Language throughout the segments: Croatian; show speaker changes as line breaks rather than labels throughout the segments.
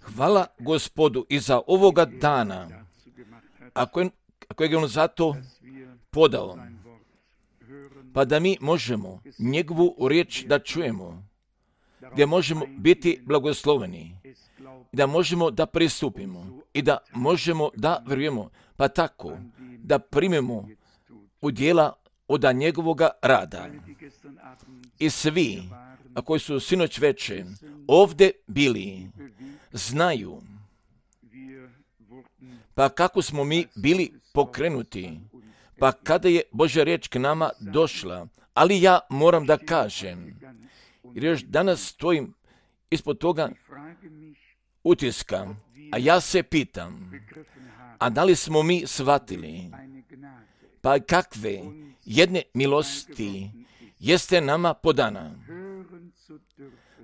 Hvala Gospodu i za ovoga dana, ako je on zato podao, pa da mi možemo njegovu riječ da čujemo, gdje možemo biti blagosloveni, da možemo da pristupimo i da možemo da vjerujemo, pa tako da primimo u djela od njegovoga rada. I svi, a koji su sinoć veče ovdje bili, znaju pa kako smo mi bili pokrenuti, pa kada je Božja riječ k nama došla. Ali ja moram da kažem, jer još danas stojim ispod toga utiska, a ja se pitam, a da li smo mi shvatili, pa kakve jedne milosti jeste nama podana,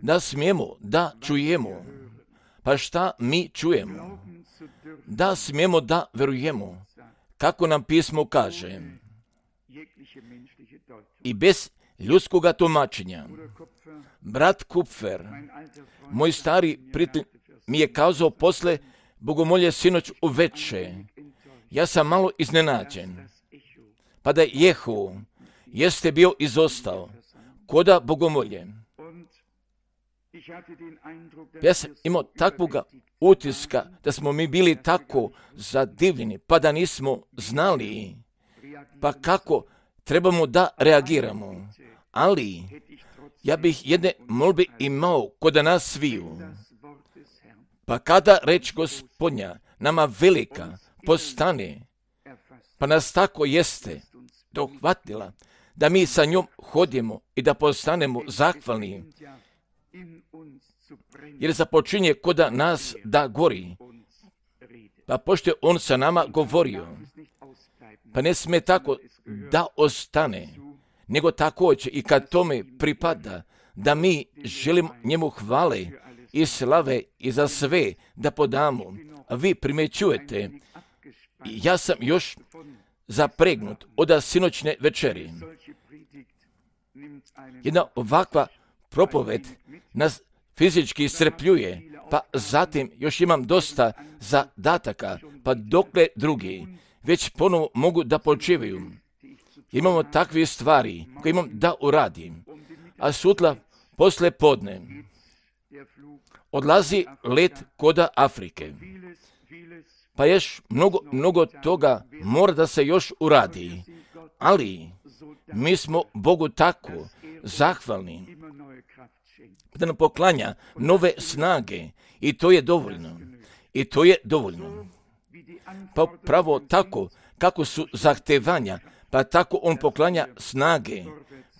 da smijemo da čujemo, pa šta mi čujemo, da smijemo da verujemo, kako nam pismo kaže, i bez ljudskoga tumačenja. Brat Kupfer, moj stari prijatelj, mi je kazao posle bogomolje sinoć uveče, ja sam malo iznenađen, pa da Jehu jeste bio izostao koda bogomolje. Ja sam imao takvoga utiska da smo mi bili tako zadivljeni, pa da nismo znali pa kako trebamo da reagiramo. Ali ja bih jedne molbe imao kod nas sviju. Pa kada reč Gospodnja nama velika postane, pa nas tako jeste dohvatila, da mi sa njom hodimo i da postanemo zahvalni, jer započinje kod nas da gori. Pa pošto je on sa nama govorio, pa ne sme tako da ostane, nego također i kad tome pripada, da mi želimo njemu hvale i slave i za sve da podamo. A vi primećujete, ja sam još zapregnut od sinoćne večeri. Jedna ovakva propoved nas fizički iscrpljuje, pa zatim još imam dosta zadataka, pa dokle drugi već ponovo mogu da počivaju. Imamo takve stvari koje imam da uradim, a sutra posle podne odlazi let koda Afrike. Pa još mnogo toga mora da se još uradi, ali mi smo Bogu tako zahvalni da nam poklanja nove snage i to je dovoljno. I to je dovoljno. Pa pravo tako kako su zahtevanja, pa tako on poklanja snage,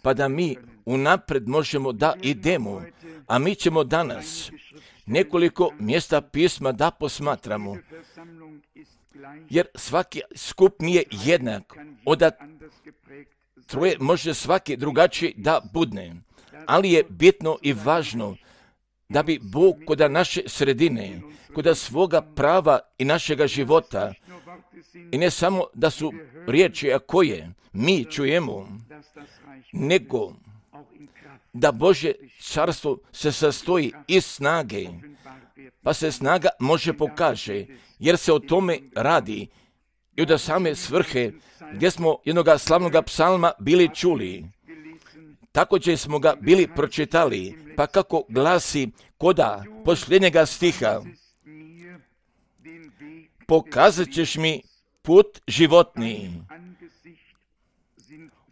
pa da mi unapred možemo da idemo, a mi ćemo danas nekoliko mjesta pisma da posmatramo, jer svaki skup nije jednak, od troje može svaki drugačiji da budne, ali je bitno i važno da bi Bog kod naše sredine, kod svoga prava i našega života, i ne samo da su riječi koje mi čujemo, nego da Božje carstvo se sastoji iz snage, pa se snaga može pokaže, jer se o tome radi i od same svrhe gdje smo jednoga slavnoga psalma bili čuli. Također smo ga bili pročitali, pa kako glasi koda posljednjega stiha: pokazat ćeš mi put životni,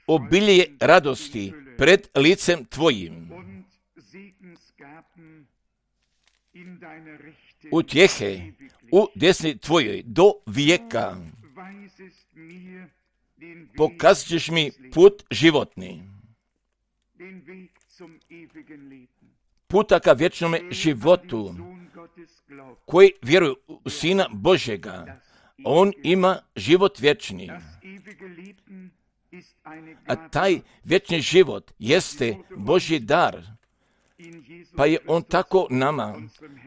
obilje radosti pred licem tvojim, utjehe u desni tvojoj do vijeka, pokazat ćeš mi put životni, puta ka vječnome životu, koji vjeruju u Sina Božjega, on ima život vječni. A taj vječni život jeste Božji dar, pa je on tako nama,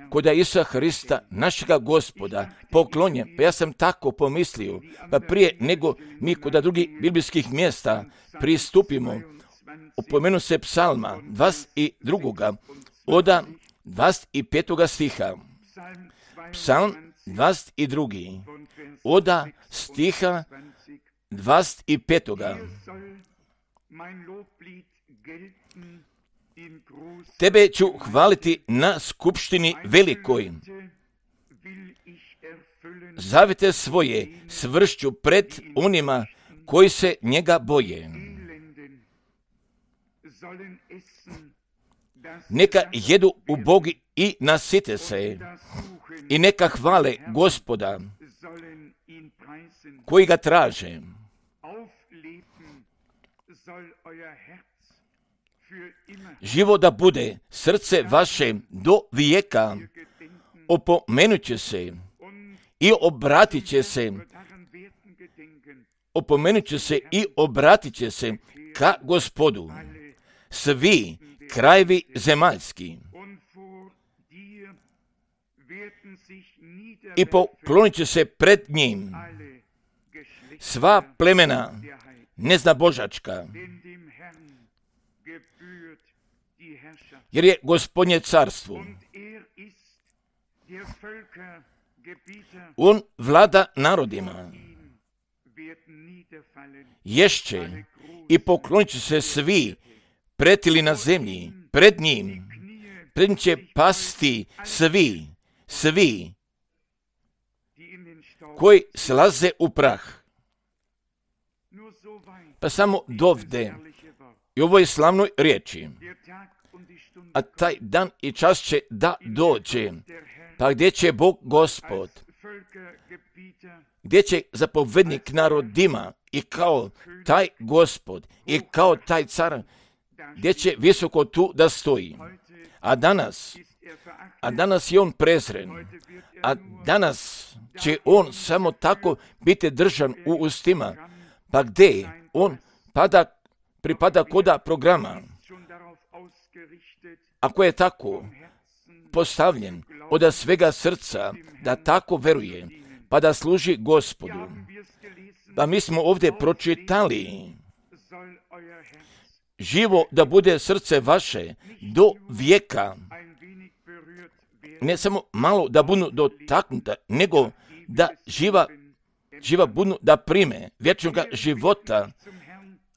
kod Isusa Hrista, našega Gospoda, poklonjen. Pa ja sam tako pomislio, pa prije nego mi kod drugih biblijskih mjesta pristupimo, upomenu se psalma 22. od 25. stiha. Psalm 22. od stiha 25. Tebe ću hvaliti na skupštini velikoj. Zavete svoje svršću pred onima koji se njega boje. Neka jedu ubogi i nasite se i neka hvale Gospoda koji ga traže. Živo da bude srce vaše do vijeka, opomenut će se i obratit će se, opomenut će se i obratit će se ka Gospodu svi krajevi zemaljski i poklonit će se pred njim sva plemena neznabožačka, jer je Gospodnje carstvo. On vlada narodima, ješće i poklonit će se svi pretili na zemlji, pred njim će pasti svi koji slaze u prah. Pa samo dovde i ovoj slavnoj riječi, a taj dan i čas će da dođe, pa gdje će Bog Gospod, gdje će zapovednik narodima i kao taj Gospod i kao taj car, gdje će visoko tu da stoji. A danas je on prezren, a danas će on samo tako biti držan u ustima, pa gdje on pripada koda programa. Ako je tako postavljen od svega srca da tako veruje, pa da služi Gospodu. Pa mi smo ovdje pročitali, živo da bude srce vaše do vijeka, ne samo malo da budu dotaknuta, nego da živa budu da prime vječnog života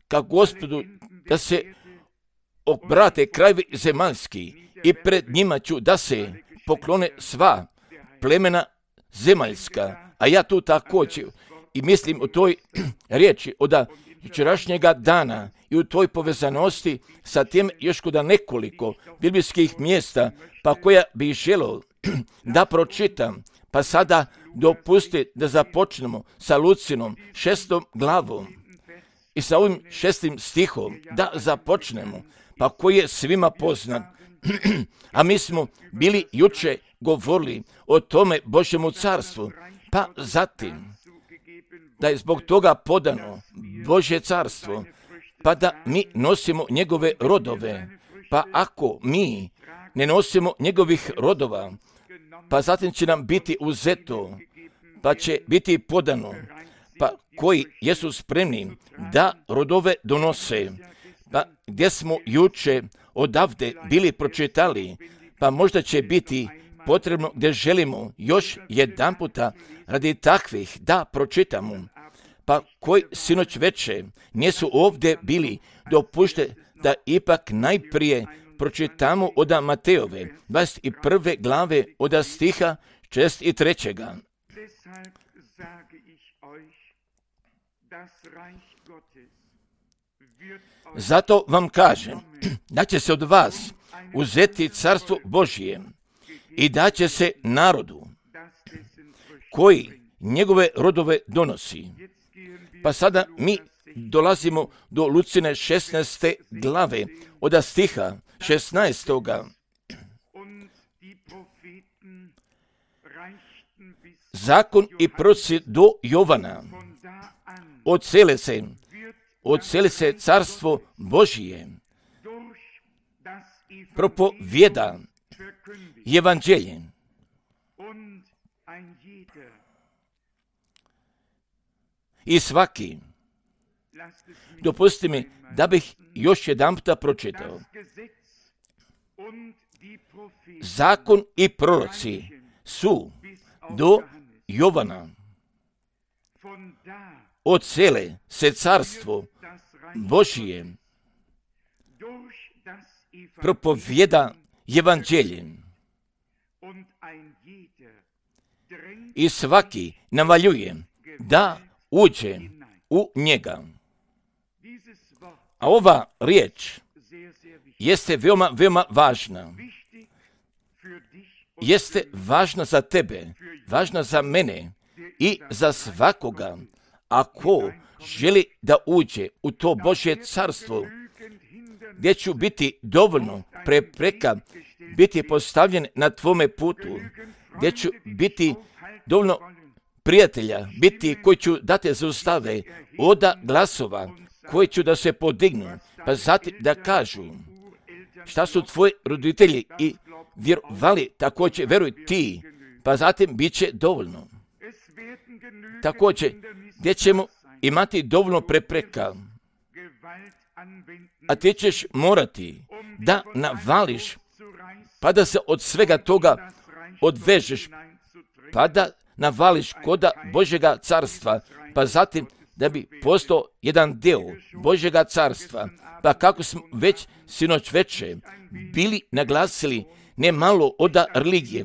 ka Gospodu, da se obrate krajevi zemaljski i pred njima ću da se poklone sva plemena zemaljska. A ja tu također i mislim u toj riječi od jučerašnjega dana i u toj povezanosti sa tim još kod nekoliko biblijskih mjesta, pa koja bi želio da pročitam. Pa sada dopusti da započnemo sa Lucinom 6. glavom i sa ovim 6. stihom da započnemo, pa koji je svima poznat. A mi smo bili juče govorili o tome Božjemu carstvu, pa zatim da je zbog toga podano Božje carstvo, pa da mi nosimo njegove rodove. Pa ako mi ne nosimo njegovih rodova, pa zatim će nam biti uzeto, pa će biti podano, pa koji jesu spremni da rodove donose. Pa gdje smo juče odavde bili pročitali, pa možda će biti potrebno gdje želimo još jedan puta radi takvih da pročitamo. Pa koji sinoć veče nisu ovdje bili, dopušte da ipak najprije pročitamo od Matejove 21. glave od stiha 63. Zato vam kažem da će se od vas uzeti carstvo Božije i da će se narodu koji njegove rodove donosi. Pa sada mi dolazimo do Lucine 16. glave od stiha 16. Zakon i proroci do Jovana. Odseli se carstvo Božije. Propovjeda evanđelje. I svaki, dopustite mi da bih još jedan puta pročitao. zakon i proroci su do Jovana. Odsele se carstvo Božije propovjeda evanđeljem i svaki navaljuje da uđe u njega. A ova riječ jeste veoma, veoma važna. Jeste važna za tebe, važna za mene i za svakoga ako želi da uđe u to Božje carstvo, gdje ću biti dovoljno prepreka biti postavljen na tvome putu, gdje ću biti dovoljno prijatelja, biti koji ću da te zaustave, oda glasova koji ću da se podignu, pa zatim da kažu šta su tvoji roditelji i vjerovali, također veruj ti, pa zatim bit će dovoljno. Također, gdje ćemo imati dovoljno prepreka, a ti ćeš morati da navališ, pa da se od svega toga odvežeš, pa da navališ koda Božjega carstva, pa zatim da bi postao jedan deo Božjega carstva. Pa kako smo već sinoć veče bili naglasili, ne malo od religije,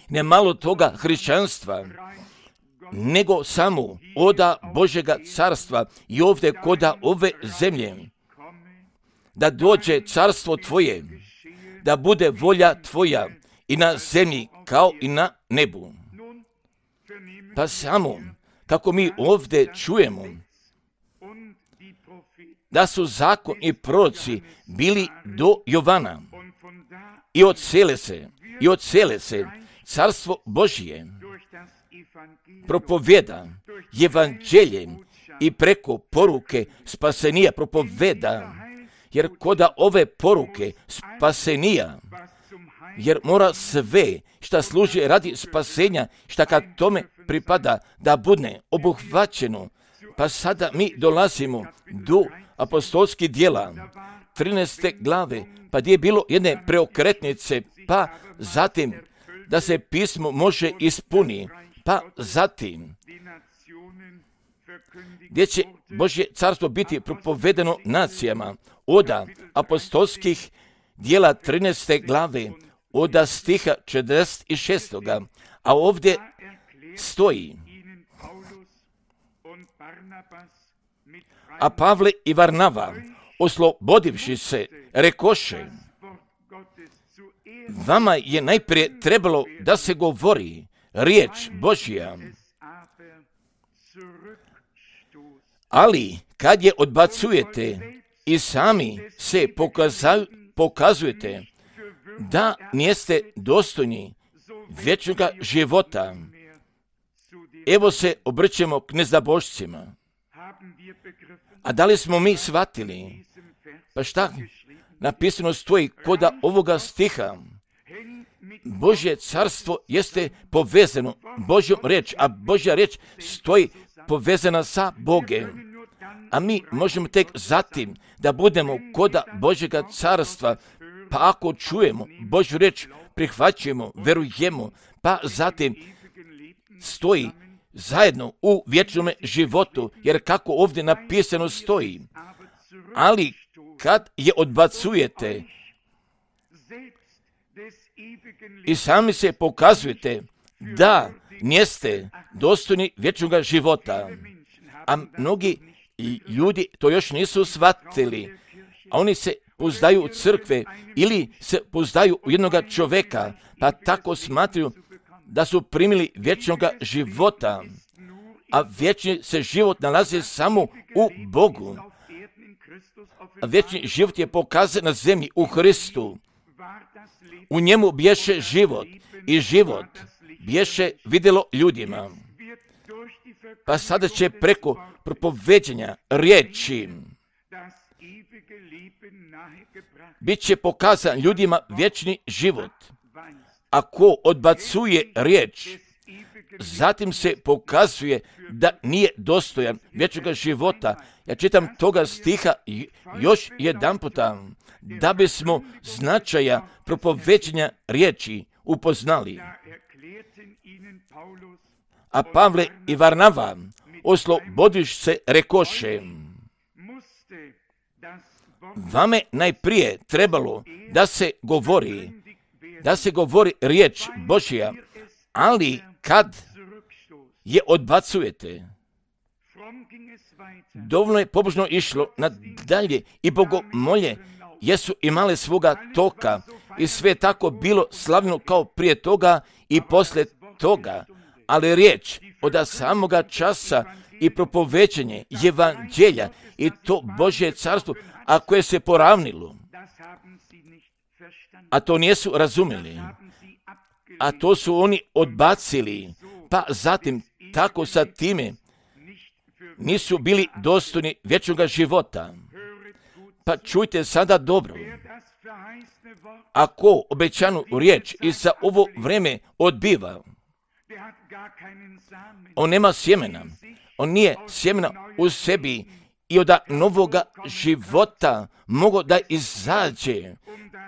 ne malo toga hrišćanstva, nego samo od Božjega carstva i ovdje koda ove zemlje, da dođe carstvo tvoje, da bude volja tvoja i na zemlji kao i na nebu. Pa samo kako mi ovdje čujemo da su zakon i proroci bili do Jovana i odsele se carstvo Božije propovjeda evanđeljem i preko poruke spasenija propovjeda, jer koda ove poruke spasenija, jer mora sve šta služi radi spasenja, šta kad tome pripada da bude obuhvaćeno. Pa sada mi dolazimo do apostolskih djela 13. glave, pa gdje je bilo jedne preokretnice, pa zatim da se pismo može ispuni, pa zatim gdje će Božje carstvo biti propovedeno nacijama, od apostolskih djela 13. glave, od stiha 46. A ovdje stoji: a Pavle i Varnava, oslobodivši se, rekoše: vama je najprije trebalo da se govori riječ Božja, ali kad je odbacujete i sami se pokazujete da niste dostojni vječnog života, evo se obrćemo k neznabošcima. A da li smo mi shvatili? Pa šta napisano stoji koda ovoga stiha? Božje carstvo jeste povezano Božjom riječ, a Božja riječ stoji povezana sa Bogem. A mi možemo tek zatim da budemo koda Božjega carstva, pa ako čujemo Božju riječ, prihvaćujemo, verujemo, pa zatim stoji zajedno u vječnom životu, jer kako ovdje napisano stoji, ali kad je odbacujete i sami se pokazujete da niste dostojni vječnog života, a mnogi ljudi to još nisu shvatili, a oni se pouzdaju u crkve ili se pouzdaju u jednog čovjeka, pa tako smatraju da su primili vječnog života, a vječni se život nalazi samo u Bogu. A vječni život je pokazan na zemlji u Hristu. U njemu bješe život i život bješe vidjelo ljudima. Pa sada će preko propoveđenja riječi bit će pokazan ljudima vječni život. Ako odbacuje riječ, zatim se pokazuje da nije dostojan vječnoga života. Ja čitam toga stiha još jedan puta, da bismo značaja propoveđenja riječi upoznali. A Pavle i Varnava oslobodiš se rekoše, vame najprije trebalo da se govori riječ Božja, ali kad je odbacujete, dovoljno je pobožno išlo nadalje i bogomolje jesu imale svoga toka i sve je tako bilo slavno kao prije toga i poslije toga, ali riječ od samoga časa i propoveđenje evanđelja i to Božje carstvo, a koje se poravnilo, a to nisu razumjeli, a to su oni odbacili, pa zatim tako sa time nisu bili dostojni vječnoga života. Pa čujte sada dobro, ako obećanu riječ i za ovo vrijeme odbiva, on nema sjemena, on nije sjemena u sebi i od novoga života mogo da izađe,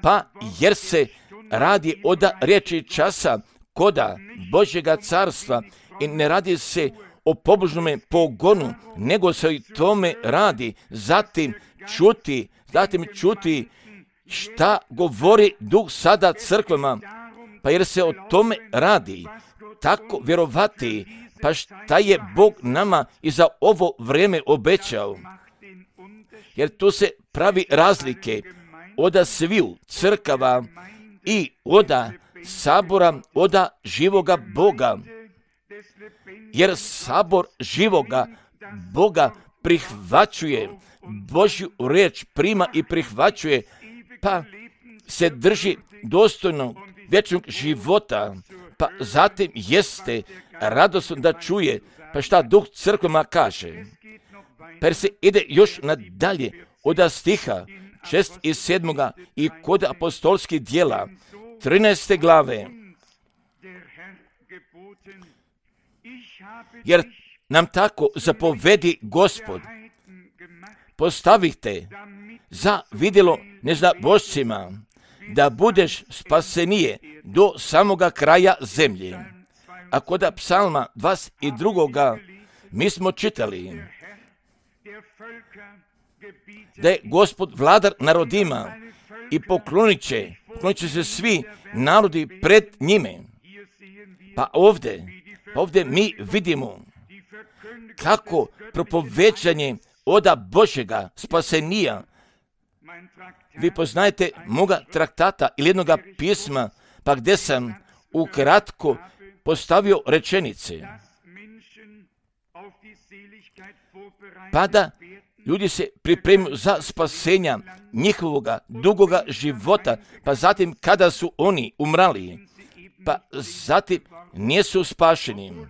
pa jer se radi od riječi časa koda Božjega carstva i ne radi se o pobožnome pogonu, nego se i tome radi, zatim čuti šta govori Duh sada crkvama, pa jer se o tome radi, tako vjerovati, pa šta je Bog nama i za ovo vrijeme obećao. Jer tu se pravi razlike od sviju crkava i od sabora, od živoga Boga. Jer sabor živoga Boga prihvaćuje Božju riječ, prima i prihvaćuje, pa se drži dostojnog vječnog života, pa zatim jeste radosno da čuje, pa šta Duh crkvama kaže. Pa se ide još nadalje od stiha 6 i 7 i kod apostolskih djela 13. glave. Jer nam tako zapovedi Gospod, postavite za vidjelo neznabošcima, da budeš spasenije do samoga kraja zemlje. A kod psalma 22. mi smo čitali da je Gospod vladar narodima i poklonit će se svi narodi pred njime. Pa ovdje mi vidimo kako propoveđanje od Božjega spasenija. Vi poznajete moga traktata ili jednoga pisma, pa gdje sam ukratko postavio rečenice. Pa da ljudi se pripremaju za spasenja njihovoga dugoga života, pa zatim kada su oni umrali, pa zatim nisu spašeni.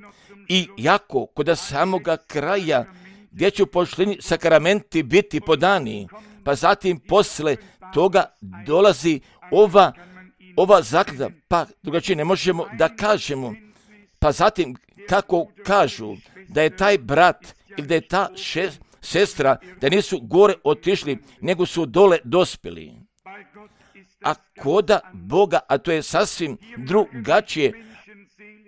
I jako kod samoga kraja gdje će u pošlini sakramenti biti podani, pa zatim posle toga dolazi ova zaklada, pa drugačije ne možemo da kažemo. Pa zatim kako kažu da je taj brat ili da je ta sestra, da nisu gore otišli, nego su dole dospjeli. A koda Boga, a to je sasvim drugačije,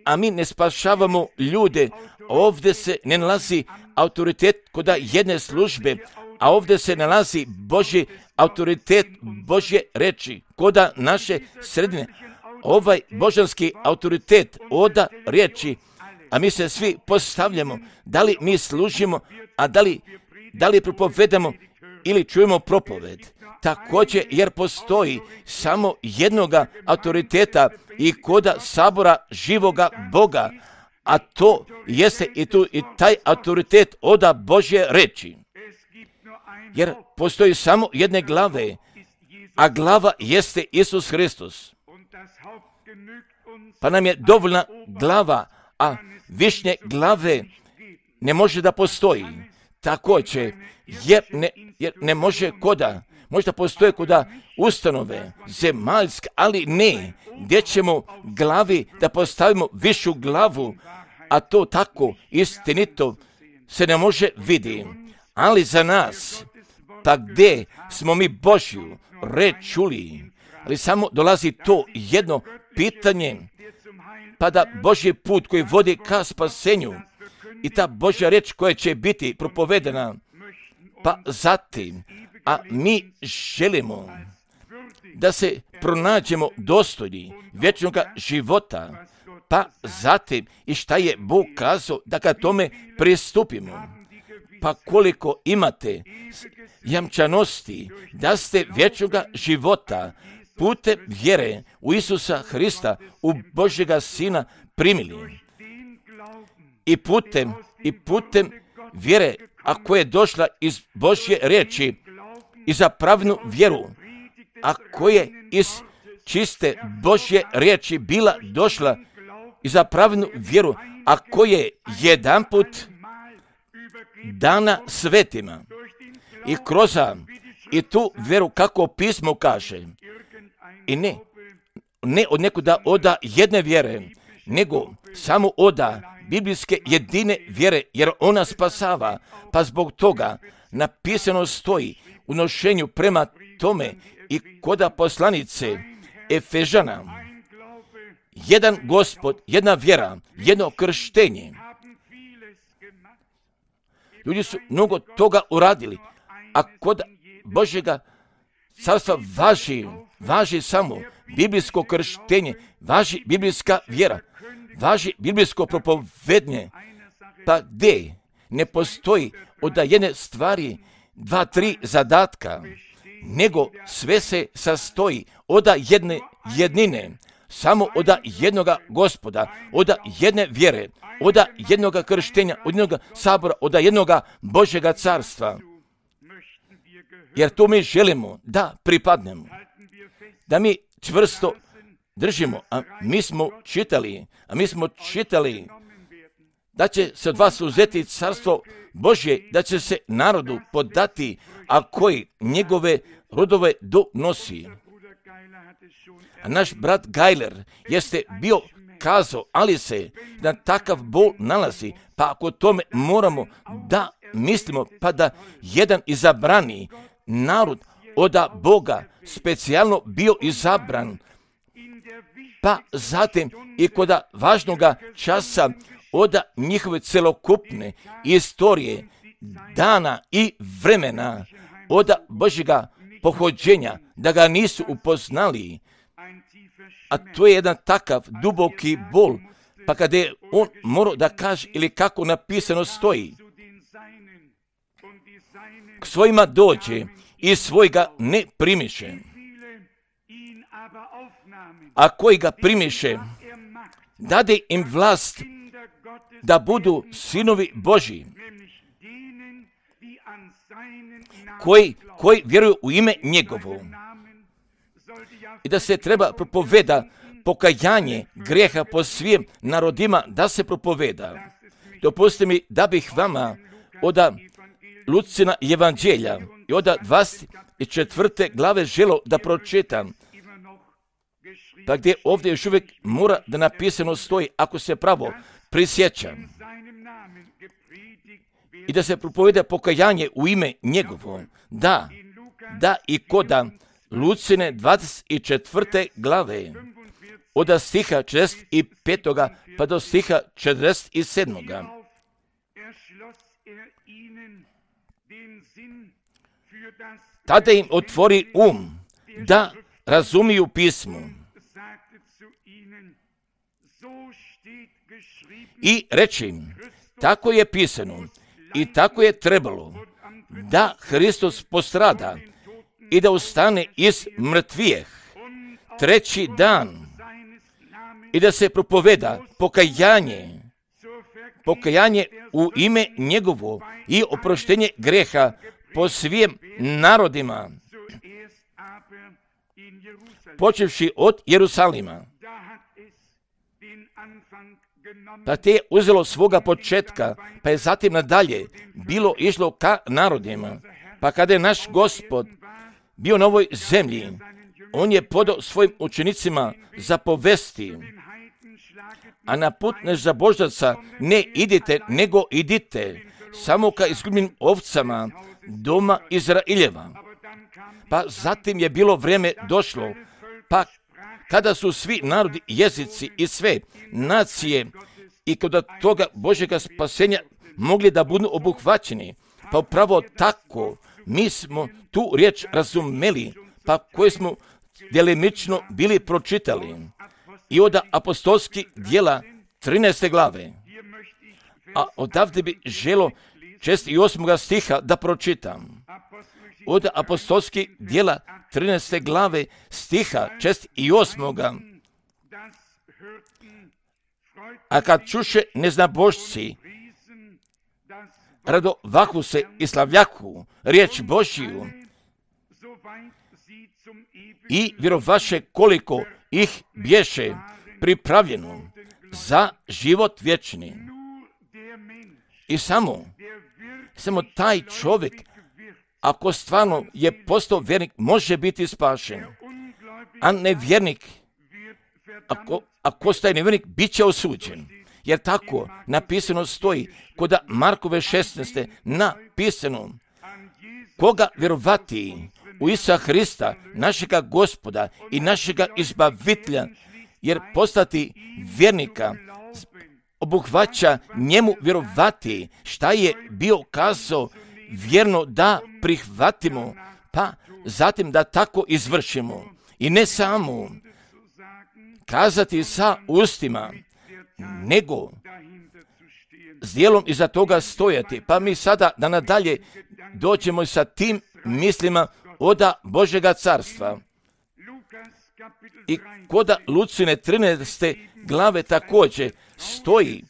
a mi ne spašavamo ljude, ovdje se ne nalazi autoritet koda jedne službe, a ovdje se nalazi Božji autoritet, Božje reči, koda naše sredine. Ovaj božanski autoritet oda riječi, a mi se svi postavljamo, da li mi služimo, a da li propovedamo ili čujemo propoved. Također, jer postoji samo jednoga autoriteta i koda sabora živoga Boga, a to jeste i taj autoritet oda Božje reči. Jer postoji samo jedne glave, a glava jeste Isus Hristos. Pa nam je dovoljna glava, a višnje glave ne može da postoji. Također, jer ne može koda, možda postoje koda ustanove, zemaljske, ali ne, gdje ćemo glavi da postavimo višu glavu, a to tako istinito se ne može vidi. Ali za nas, pa gdje smo mi Božju reč čuli, ali samo dolazi to jedno pitanje, pa da Božji put koji vodi ka spasenju i ta Božja reč koja će biti propovedena, pa zatim, a mi želimo da se pronađemo dostojni vječnog života, pa zatim i šta je Bog kazao da ka tome pristupimo. Pa koliko imate jamčanosti da ste vječnog života putem vjere u Isusa Hrista, u Božjega Sina primili. I putem vjere, a koja je došla iz Božje riječi i za pravnu vjeru, a koja je iz čiste Božje riječi bila došla i za pravnu vjeru, a koja je jedanput dana svetima i kroz i tu vjeru kako pismo kaže, i ne od nekuda oda jedne vjere, nego samo oda biblijske jedine vjere, jer ona spasava. Pa zbog toga napisano stoji u nošenju prema tome i koda poslanice Efežana, jedan Gospod, jedna vjera, jedno krštenje. Ljudi su mnogo toga uradili, a kod Božjega carstva važi samo biblijsko krštenje, važi biblijska vjera, važi biblijsko propovednje, pa gdje ne postoji od jedne stvari 2-3 zadatka, nego sve se sastoji od jedne jednine, samo od jednoga Gospoda, od jedne vjere, od jednoga krštenja, od jednoga sabora, od jednoga Božjega carstva. Jer to mi želimo da pripadnemo, da mi čvrsto držimo, a mi smo čitali da će se od vas uzeti carstvo Božje, da će se narodu podati, a koji njegove rodove donosi. A naš brat Geiler jeste bio kazao, ali se na takav bol nalazi, pa ako tome moramo da mislimo, pa da jedan izabrani narod od Boga specijalno bio izabran, pa zatim i kod važnoga časa od njihove celokupne istorije, dana i vremena, od Božjega pohođenja, da ga nisu upoznali. A to je jedan takav duboki bol, pa kada je on morao da kaže, ili kako napisano stoji, k svojima dođe i svojega ne primiše. A koji ga primiše, dade im vlast da budu sinovi Božji, koji vjeruju u ime njegovo. I da se treba propoveda pokajanje grijeha po svim narodima, da se propoveda. Dopustite mi da bih vama od Lucina evanđelja i od 24. glave želo da pročitam, pa gdje ovdje još uvijek mora da napisano stoji, ako se pravo prisjećam, i da se propoveda pokajanje u ime njegovo. Da i koda Lucine 24. glave, od stiha 45. pa do stiha 47. Tada im otvori da razumiju pismo. I reći im, tako je pisano i tako je trebalo da Hristos postrada i da ustane iz mrtvijeh treći dan i da se propoveda pokajanje u ime njegovo i oproštenje greha po svim narodima, počevši od Jerusalima. Pa te je uzelo svoga početka, pa je zatim nadalje bilo išlo ka narodima. Pa kada je naš Gospod bio na ovoj zemlji, on je podao svojim učenicima zapovesti a na put nezaboždaca ne idite, nego idite, samo ka izgubljenim ovcama doma Izraeljeva. Pa zatim je bilo vrijeme došlo, pa kada su svi narodi, jezici i sve nacije i kod toga Božjega spasenja mogli da budu obuhvaćeni. Pa upravo tako mi smo tu riječ razumeli, pa koje smo djelimično bili pročitali. I od apostolskih djela 13. glave. A odavde bi želo 6. i 8. stiha da pročitam. Od apostolskih djela 13. glave stiha 6. i 8. A kad čuše neznabošci, radovahu se i slavljahu riječ Božiju i vjerovaše koliko ih bješe pripravljeno za život vječni. I samo taj čovjek, ako stvarno je postao vjernik, može biti spašen. A nevjernik, ako staje nevjernik, bit će osuđen. Jer tako napisano stoji kod Markove 16. napisano: koga vjerovati u Isusa Hrista, našega Gospoda i našega Izbavitelja, jer postati vjernika obuhvaća njemu vjerovati šta je bio kazao, vjerno da prihvatimo, pa zatim da tako izvršimo. I ne samo kazati sa ustima, nego s djelom iza toga stojati. Pa mi sada da nadalje dođemo sa tim mislima od Božjega carstva. I kod Lucine 13. glave također stoji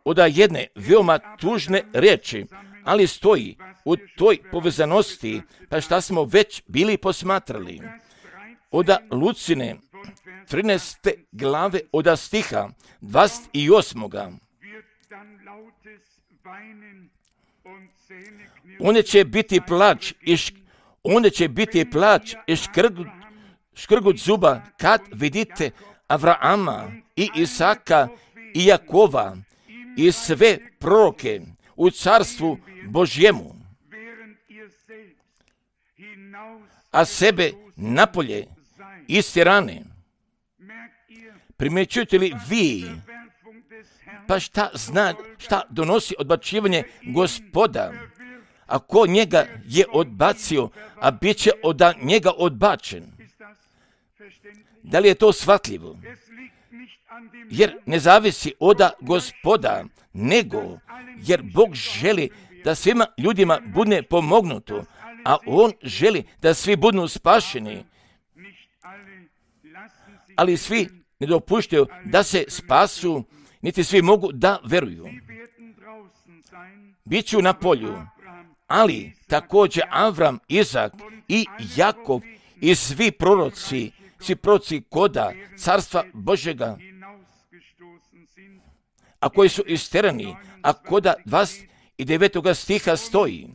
od jedne veoma tužne riječi, ali stoji u toj povezanosti, pa šta smo već bili posmatrali. Od Lucine 13. glave od stiha 28. Onda će biti plač i škrgut zuba kad vidite Avrama i Isaka i Jakova i sve proroke u carstvu Božjemu, a sebe napolje istjerane. Primjećujete li vi, pa šta donosi odbacivanje Gospoda? Ako njega je odbacio, a bit će od njega odbačen. Da li je to shvatljivo? Jer ne zavisi od Gospoda, nego jer Bog želi da svima ljudima bude pomognuto, a On želi da svi budu spašeni. Ali svi ne dopuštaju da se spasu, niti svi mogu da veruju. Biću na polju, ali također Avram, Izak i Jakov i svi proroci koda carstva Božjega, a koji su isterani, a koda 29. stiha stoji: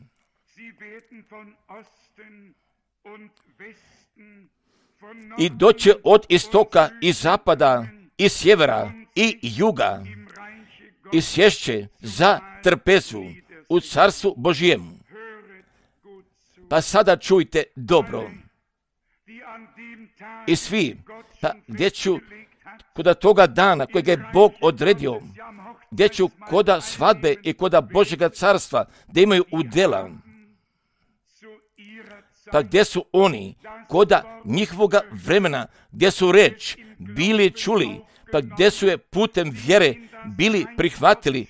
i doće od istoka i zapada i sjevera i juga i sješće za trpezu u carstvu Božjemu. Pa sada čujte dobro. I svi, pa gdje ću koda toga dana kojeg je Bog odredio, gdje ću koda svadbe i koda Božjega carstva da imaju udjela, pa gdje su oni koda njihovoga vremena, gdje su reč bili čuli, pa gdje su je putem vjere bili prihvatili,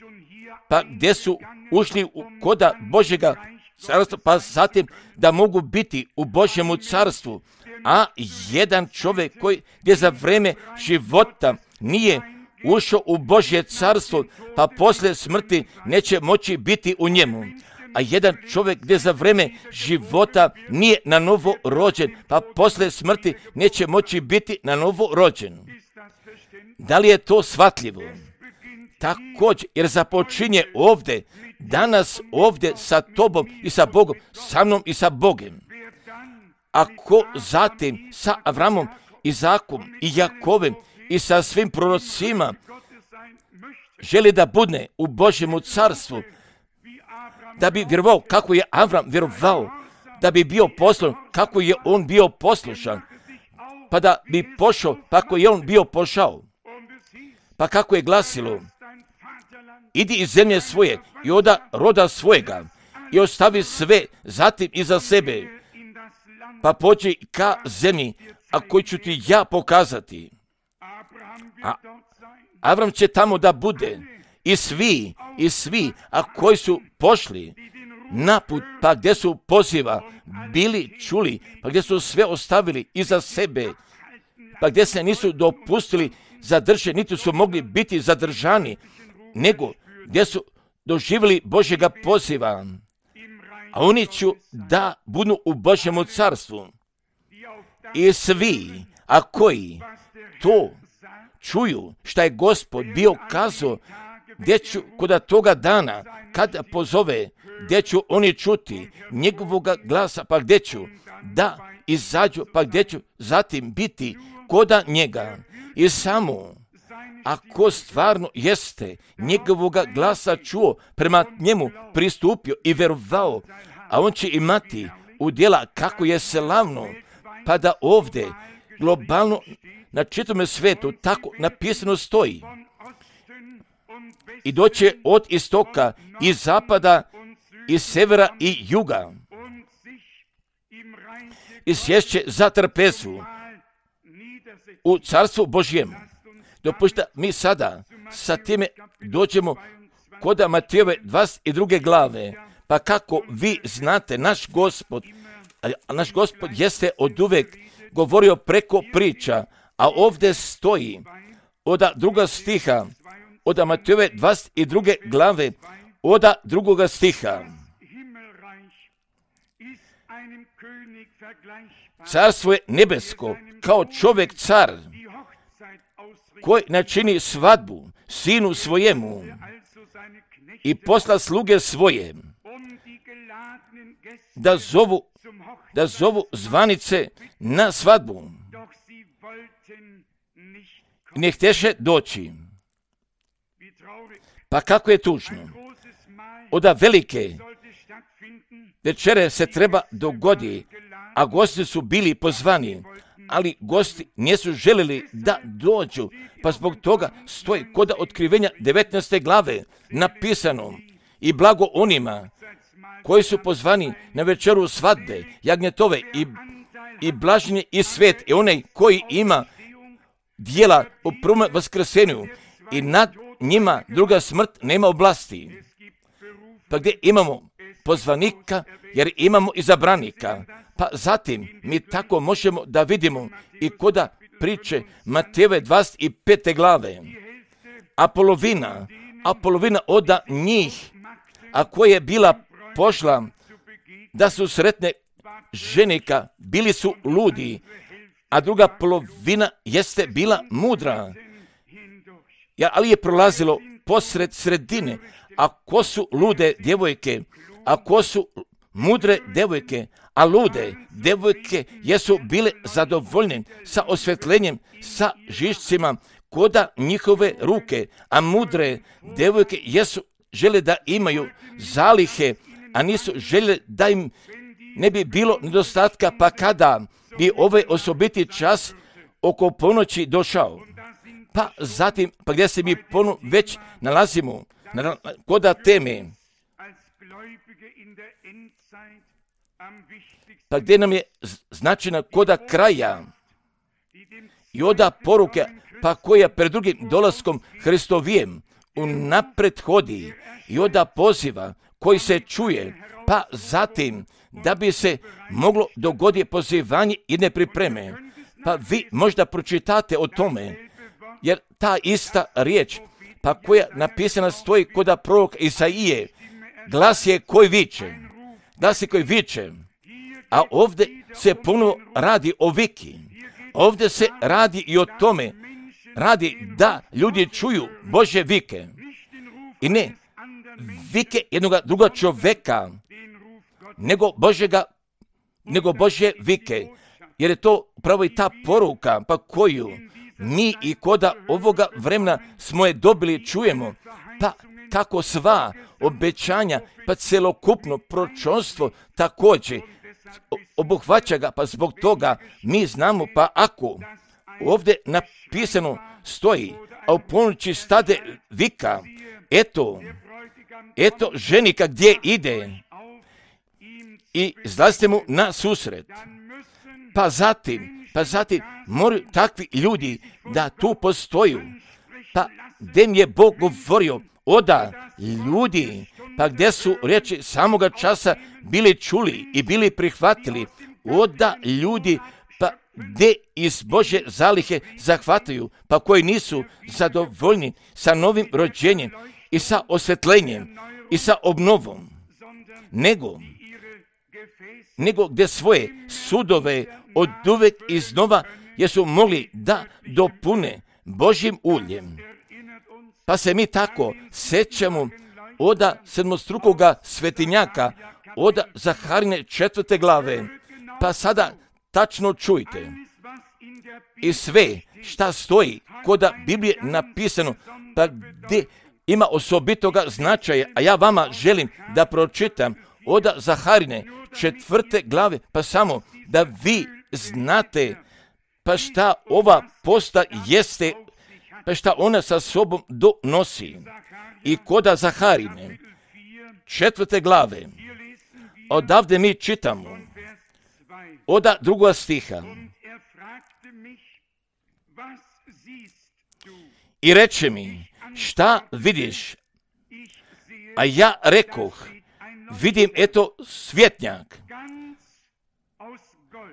pa gdje su ušli koda Božjega carstva, pa zatim da mogu biti u Božjemu carstvu. A jedan čovjek gdje za vrijeme života nije ušao u Božje carstvo, pa poslije smrti neće moći biti u njemu. A jedan čovjek gdje za vrijeme života nije na novo rođen, pa poslije smrti neće moći biti na novo rođen. Da li je to shvatljivo? Također, jer započinje ovdje, danas ovdje sa tobom i sa Bogom, sa mnom i sa Bogom. Ako zatim sa Avramom, Izakom i Jakovem i sa svim prorocima želi da bude u Božjemu carstvu, da bi vjerovao kako je Avram vjerovao, da bi bio poslušan kako je on bio poslušan, pa da bi pošao kako je on bio pošao. Pa kako je glasilo, idi iz zemlje svoje i od roda svojega i ostavi sve zatim iza sebe, pa pođi ka zemlji, a koju ću ti ja pokazati. A Avram će tamo da bude i svi, a koji su pošli na put, pa gdje su poziva bili čuli, pa gdje su sve ostavili iza sebe, pa gdje se nisu dopustili zadržati, niti su mogli biti zadržani, nego gdje su doživjeli Božjega poziva, a oni ću da budu u Božjemu carstvu. I svi, a koji to čuju šta je Gospod bio kazao, gdje ću kod toga dana, kada pozove, gdje ću oni čuti njegovoga glasa, pa gdje ću da izađu, pa gdje ću zatim biti koda njega. I samo ako stvarno jeste njegovoga glasa čuo, prema njemu pristupio i vjerovao, a on će imati udjela kako je slavno, pa da ovdje globalno na čitavom svijetu tako napisano stoji. I doće od istoka i zapada i severa i juga i sješće za trpezu u carstvu Božjem. Dopušta mi sada sa time dođemo kod Matejove 22. glave, pa kako vi znate, naš Gospod jeste oduvek govorio preko priča, a ovdje stoji od druga stiha, od Matejove 22. glave, od drugoga stiha. Carstvo je nebesko, kao čovjek car, koji načini svadbu sinu svojemu i posla sluge svoje, da zovu zvanice na svadbu. I ne htješe doći. Pa kako je tužno. Od velike večere se treba dogodi, a gosti su bili pozvani, ali gosti nisu željeli da dođu, pa zbog toga stoji kod otkrivenja 19. glave napisano: i blago onima koji su pozvani na večeru svadbe, jagnjetove, i blažen je i svet i onaj koji ima dijela u prvom vaskrsenju, i nad njima druga smrt nema oblasti. Pa gdje imamo pozvanika, jer imamo izabranika. Pa zatim mi tako možemo da vidimo i koda priče Matejove 25. glave. A polovina od njih, a koja je bila pošla da su sretne ženika, bili su ludi, a druga polovina jeste bila mudra. Ali je prolazilo posred sredine. A ko su lude djevojke, a ko su mudre djevojke, a lude djevojke jesu bile zadovoljne sa osvjetljenjem, sa žišcima koda njihove ruke, a mudre djevojke jesu žele da imaju zalihe, a nisu žele da im ne bi bilo nedostatka, pa kada bi ovaj osobiti čas oko ponoći došao. Pa zatim, pa gdje se mi već nalazimo, koda teme, pa gdje nam je značajna koda kraja i oda poruke, pa koja pred drugim dolaskom Hristovijem unapred hodi, i oda poziva koji se čuje, pa zatim da bi se moglo dogoditi pozivanje jedne pripreme. Pa vi možda pročitate o tome, jer ta ista riječ, pa koja napisana stoji koda proroka Isaije, glas je koji viče, a ovdje se puno radi o viki, ovdje se radi i o tome, radi da ljudi čuju Božje vike, i ne vike jednoga druga čovjeka, nego Božje vike, jer je to upravo i ta poruka, pa koju mi i koda ovoga vremena smo je dobili, čujemo, pa kako sva obećanja, pa celokupno proročanstvo također obuhvaća ga, pa zbog toga mi znamo, pa ako ovdje napisano stoji, a u ponoći stade vika, eto ženika gdje ide i izlazite mu na susret. Pa zatim moraju takvi ljudi da tu postoju. Pa gdje mi je Bog govorio, oda ljudi, pa gdje su riječi samoga časa bili čuli i bili prihvatili, oda ljudi, pa gdje iz Božje zalihe zahvataju, pa koji nisu zadovoljni sa novim rođenjem i sa osvetljenjem i sa obnovom, nego gdje svoje sudove od uvek iznova jesu mogli da dopune Božjim uljem. Pa se mi tako sećamo oda sedmostrukoga svetinjaka, oda Zaharine 4. glave. Pa sada tačno čujte i sve šta stoji koda Biblije napisano, pa gdje ima osobitoga značaja, a ja vama želim da pročitam oda Zaharine 4. glave, pa samo da vi znate pa šta ova posta jeste, pa šta ona sa sobom donosi. I koda Zaharine 4. glave, odavde mi čitamo oda 2. stiha. I reče mi, šta vidiš? A ja rekoh, vidim eto svjetnjak,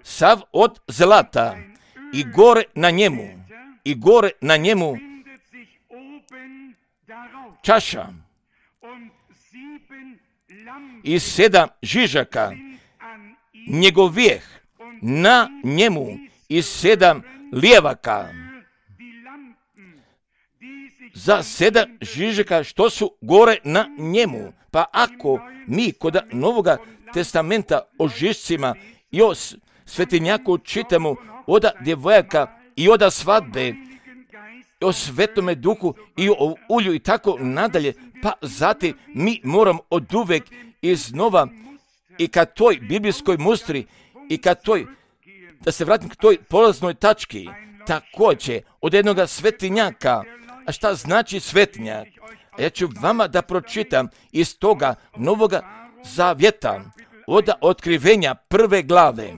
sav od zlata i gore na njemu čaša i 7 žižaka njegovijeh na njemu i 7 lijevaka za 7 žižaka što su gore na njemu. Pa ako mi kod Novoga testamenta o žižcima i o svetinjaku čitamo oda djevojaka i oda svadbe, i o Svetome Duhu i o ulju i tako nadalje, pa zatim mi moramo oduvek iznova i ka toj biblijskoj mustri i ka toj, da se vratim k toj polaznoj tački, također od jednoga svetinjaka. A šta znači svetinjak? A ja ću vama da pročitam iz toga Novoga Zavjeta, oda Otkrivenja 1. glave,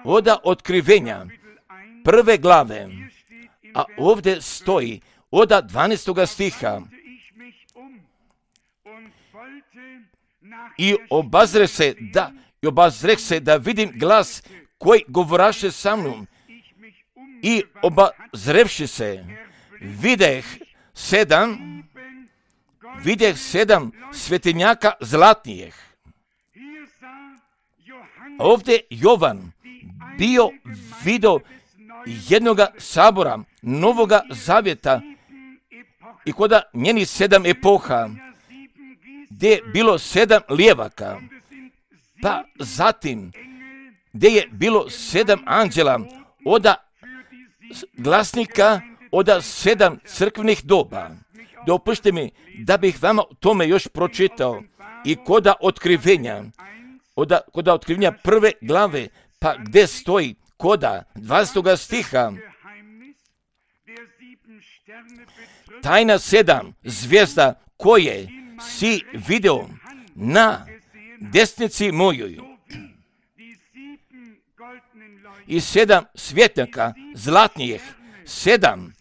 oda Otkrivenja 1. glave, a ovdje stoji oda 12. stiha. I obazreh se da vidim glas koji govoraše sa mnom. I obazrevši se, videh sedam svetinjaka zlatnijih. Ovdje Jovan video jednoga sabora Novoga Zavjeta i koda njeni 7 epoha, gdje je bilo 7 lijevaka, pa zatim gdje je bilo 7 anđela, oda glasnika, oda 7 crkvenih doba. Dopušte mi da bih vama tome još pročitao i koda otkrivenja 1. glave, pa gdje stoji koda 20. stiha. Tajna 7 zvijezda koje si video na desnici mojoj i 7 svjetnjaka zlatnijih, 7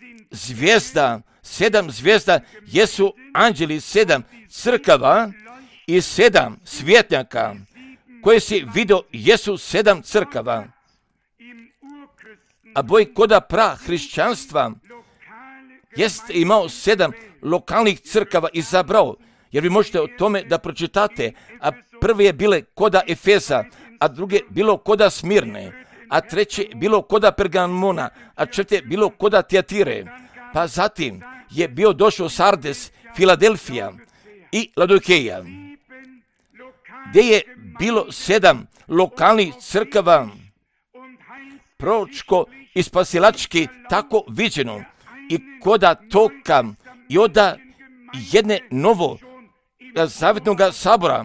zvijezda jesu anđeli 7 crkava i 7 svjetnjaka koje si video jesu 7 crkava. A boj koda hrišćanstva jest imao 7 lokalnih crkava izabrao, jer vi možete o tome da pročitate, a prve je bile koda Efesa, a druge bilo koda Smirne, a treće bilo koda Pergamona, a četvrte bilo koda Tijatire, pa zatim je bio došao Sardes, Filadelfija i Laodikeja, gdje je bilo 7 lokalnih crkava, proročko i spasilački tako viđeno i koda toka i oda jedne novo zavjetnog sabora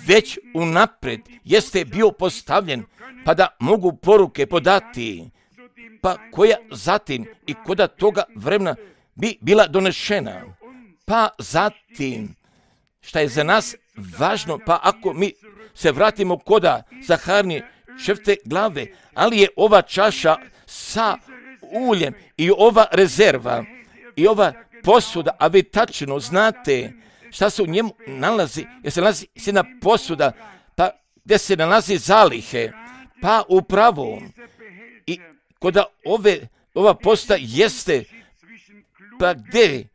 već unaprijed jeste bio postavljen pa da mogu poruke podati, pa koja zatim i koda toga vremena bi bila donešena. Pa zatim, šta je za nas važno, pa ako mi se vratimo koda Zaharnije 4. glave, ali je ova čaša sa uljem i ova rezerva i ova posuda, a vi tačno znate šta se u njemu nalazi, jer se nalazi jedna posuda, pa gdje se nalazi zalihe, pa upravo i koda ova posta jeste, pa gdje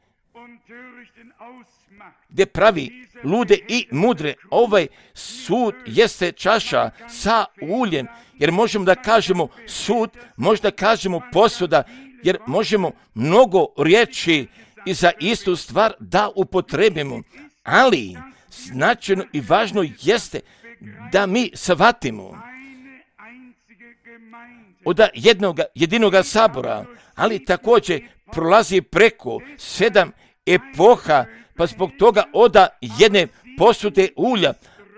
pravi lude i mudre, ovaj sud jeste čaša sa uljem, jer možemo da kažemo sud, možda kažemo posuda, jer možemo mnogo riječi i za istu stvar da upotrebimo, ali značajno i važno jeste da mi shvatimo od jedinog sabora, ali također prolazi preko 7 epoha, pa zbog toga oda jedne posude ulja,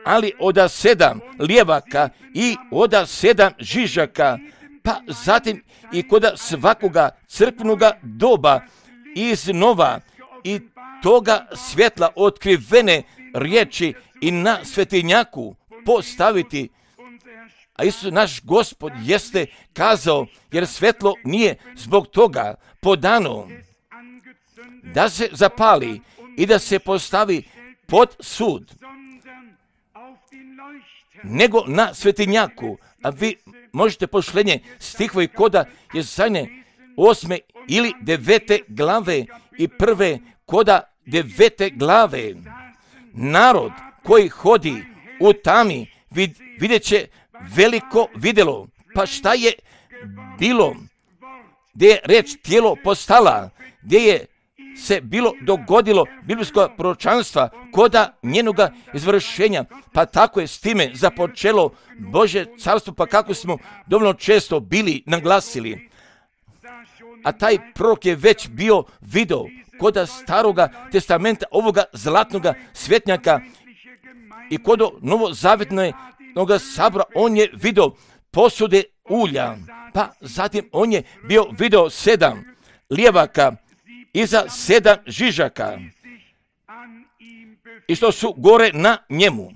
ali oda 7 lijevaka i oda 7 žižaka, pa zatim i koda svakoga crkvenoga doba iznova i toga svjetla otkrivene riječi i na svetinjaku postaviti. A Isus naš Gospod jeste kazao, jer svjetlo nije zbog toga podano da se zapali i da se postavi pod sud, nego na svetinjaku. A vi možete pošlenje stihove koda Jesajne 8. ili 9. glave i 1. koda 9. glave. Narod koji hodi u tami vidjet će veliko vidjelo. Pa šta je bilo? Gdje je reč tijelo postala, gdje je se bilo dogodilo biblijsko proročanstva koda njenoga izvršenja, pa tako je s time započelo Božje carstvo, pa kako smo dovoljno često bili naglasili. A taj prorok je već bio video koda staroga testamenta, ovoga zlatnoga svjetnjaka i kod novozavjetnog sabora on je video posude ulja, pa zatim on je bio video 7 lijevaka iza 7 žižaka i što su gore na njemu.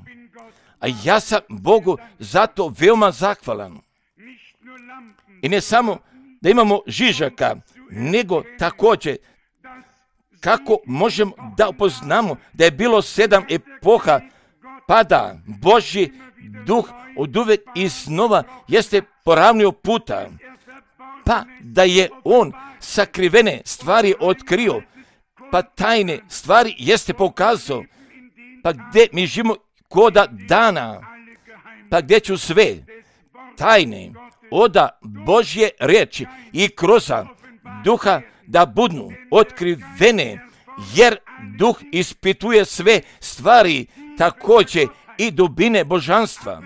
A ja sam Bogu zato veoma zahvalan. I ne samo da imamo žižaka, nego također kako možemo da upoznamo da je bilo 7 epoha, pa da Božji duh oduvek iznova jeste poravnio puta, pa da je on sakrivene stvari otkrio, pa tajne stvari jeste pokazao, pa gdje mi živimo koda dana, pa gdje ću sve tajne oda Božje riječi i kroz duha da budnu otkrivene, jer duh ispituje sve stvari, također i dubine božanstva.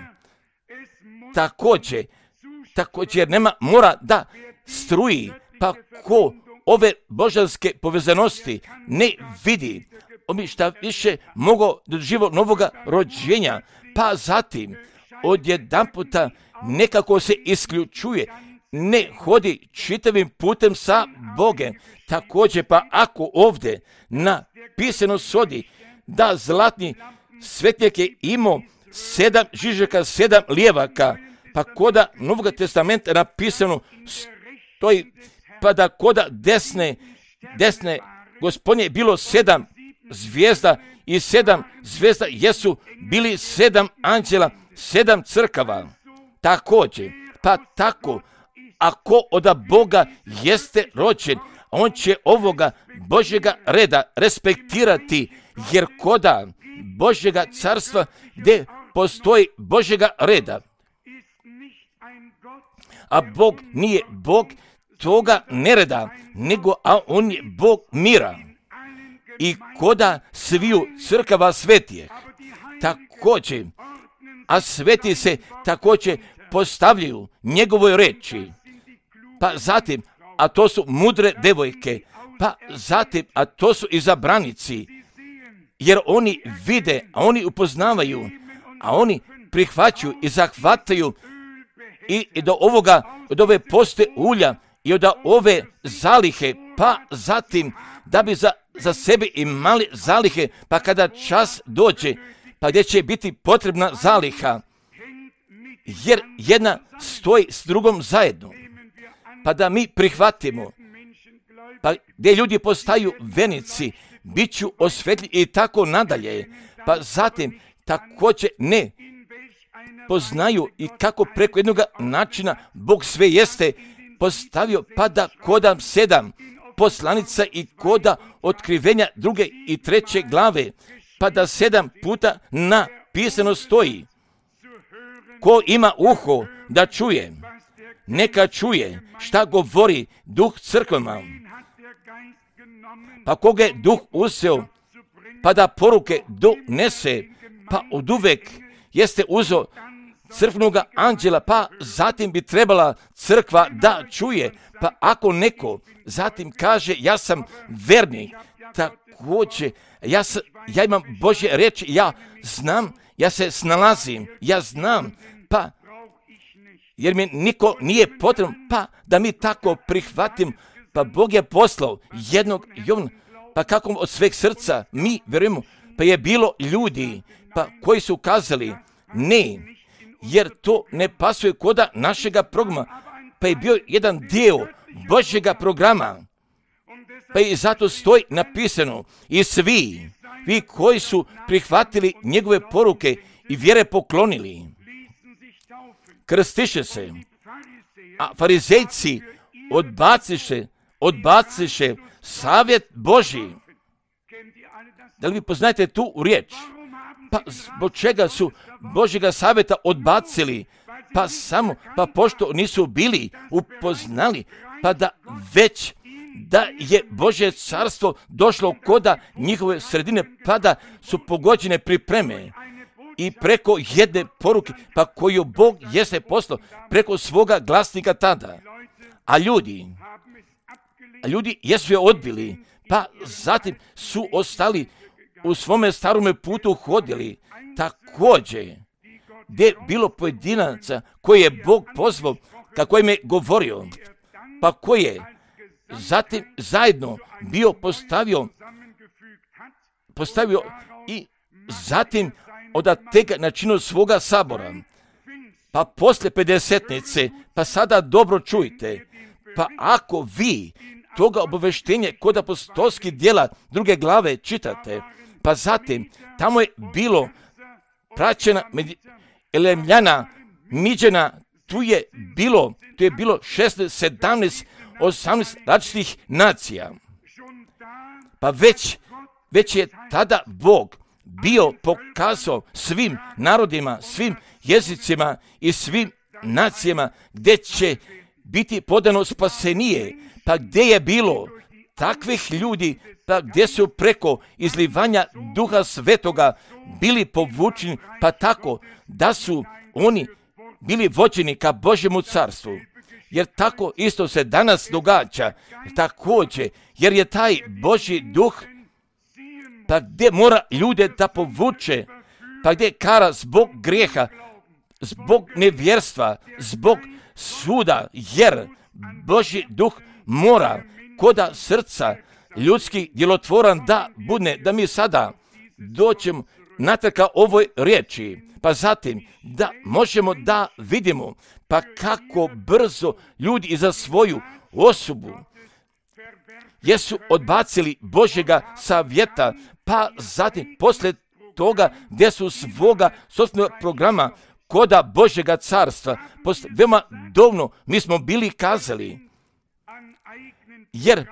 Također nema mora da struji, pa ko ove božanske povezanosti ne vidi, on bi šta više mogao doživjeti novoga rođenja, pa zatim odjedanputa nekako se isključuje, ne hodi čitavim putem sa Bogem. Također pa ako ovdje napisano sodi da zlatni svetnjak je imao 7 žižaka, 7 lijevaka, pa koda Novog testamenta napisano stoji, pa da koda desne Gospodnje je bilo 7 zvijezda i 7 zvijezda jesu bili 7 anđela, 7 crkava. Također, pa tako, ako od Boga jeste rođen, on će ovoga Božjega reda respektirati, jer koda Božjega carstva gdje postoji Božjega reda, a Bog nije Bog toga nereda, nego a on je Bog mira. I koda sviju crkava svetije, također, a sveti se također postavljaju njegovoj reči, pa zatim, a to su mudre devojke, pa zatim, a to su izabranici, jer oni vide, a oni upoznavaju, a oni prihvaćaju i zahvataju i od ove poste ulja i od ove zalihe, pa zatim da bi za sebe imali zalihe, pa kada čas dođe, pa gdje će biti potrebna zaliha, jer jedna stoji s drugom zajedno, pa da mi prihvatimo, pa gdje ljudi postaju vernici, bit ću osvetljeni i tako nadalje, pa zatim također ne poznaju i kako preko jednog načina Bog sve jeste postavio, pa da koda 7 poslanica i koda otkrivenja 2. i 3. glave, pa da 7 puta napisano stoji: ko ima uho da čuje, neka čuje šta govori Duh crkvama. Pa koga je Duh uzeo, pa da poruke donese, pa oduvek jeste uzeo crkvenoga anđela, pa zatim bi trebala crkva da čuje. Pa ako neko zatim kaže ja sam vernik, također ja imam Božje reči, ja znam, ja se snalazim, ja znam, pa jer mi niko nije potreban, pa da mi tako prihvatim, pa Bog je poslao jednog Jovana, pa kako od sveg srca mi vjerujemo, pa je bilo ljudi pa koji su kazali ne, jer to ne pasuje koda našega programa, pa je bio jedan dio Božjega programa, pa i zato stoji napisano: i svi vi koji su prihvatili njegove poruke i vjere poklonili, krstiše se, a farizejci odbaciše savjet Božji. Da li vi poznajete tu riječ? Pa zbog čega su Božjega savjeta odbacili? Pa pošto nisu bili upoznali, pa da već da je Božje carstvo došlo koda njihove sredine, pa da su pogođene pripreme i preko jedne poruke, pa koju Bog jeste poslao preko svoga glasnika tada. A ljudi jesu je odbili, pa zatim su ostali u svome starome putu hodili. Također, gdje je bilo pojedinaca koje je Bog pozvao, kako im je govorio, pa koji je zatim zajedno bio postavio i zatim od tega načinu svoga sabora. Pa poslije pedesetnice, pa sada dobro čujte, pa ako vi toga obaveštenja kod apostolskih djela 2. glave čitate, pa zatim tamo je bilo praćena Elemljana, Miđena, tu je bilo 16, 17, 18 različitih nacija. Pa već je tada Bog bio pokazao svim narodima, svim jezicima i svim nacijama gdje će biti podano spasenije, pa gdje je bilo takvih ljudi, pa gdje su preko izlivanja Duha Svetoga bili povučeni, pa tako da su oni bili vođeni ka Božjemu carstvu. Jer tako isto se danas događa, također, jer je taj Božji duh, pa gdje mora ljude da povuče, pa gdje kara zbog grijeha, zbog nevjerstva, zbog suda, jer Božji duh mora koda srca ljudskih djelotvoran da budne, da mi sada doćemo natrag ka ovoj riječi, pa zatim da možemo da vidimo pa kako brzo ljudi i za svoju osobu jesu odbacili Božjega savjeta, pa zatim poslije toga gdje su svoga sopstvenog programa koda Božjega carstva, veoma davno mi smo bili kazali, jer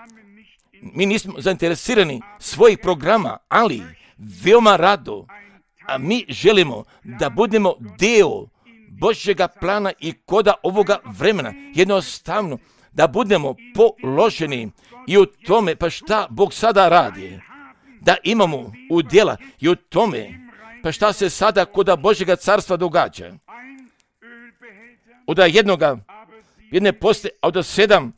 mi nismo zainteresirani svojih programa, ali veoma rado, a mi želimo da budemo dio Božjega plana i koda ovoga vremena, jednostavno da budemo položeni i u tome, pa šta Bog sada radi, da imamo udjela i u tome, pa šta se sada koda Božjega carstva događa. od jedne poste, a od 7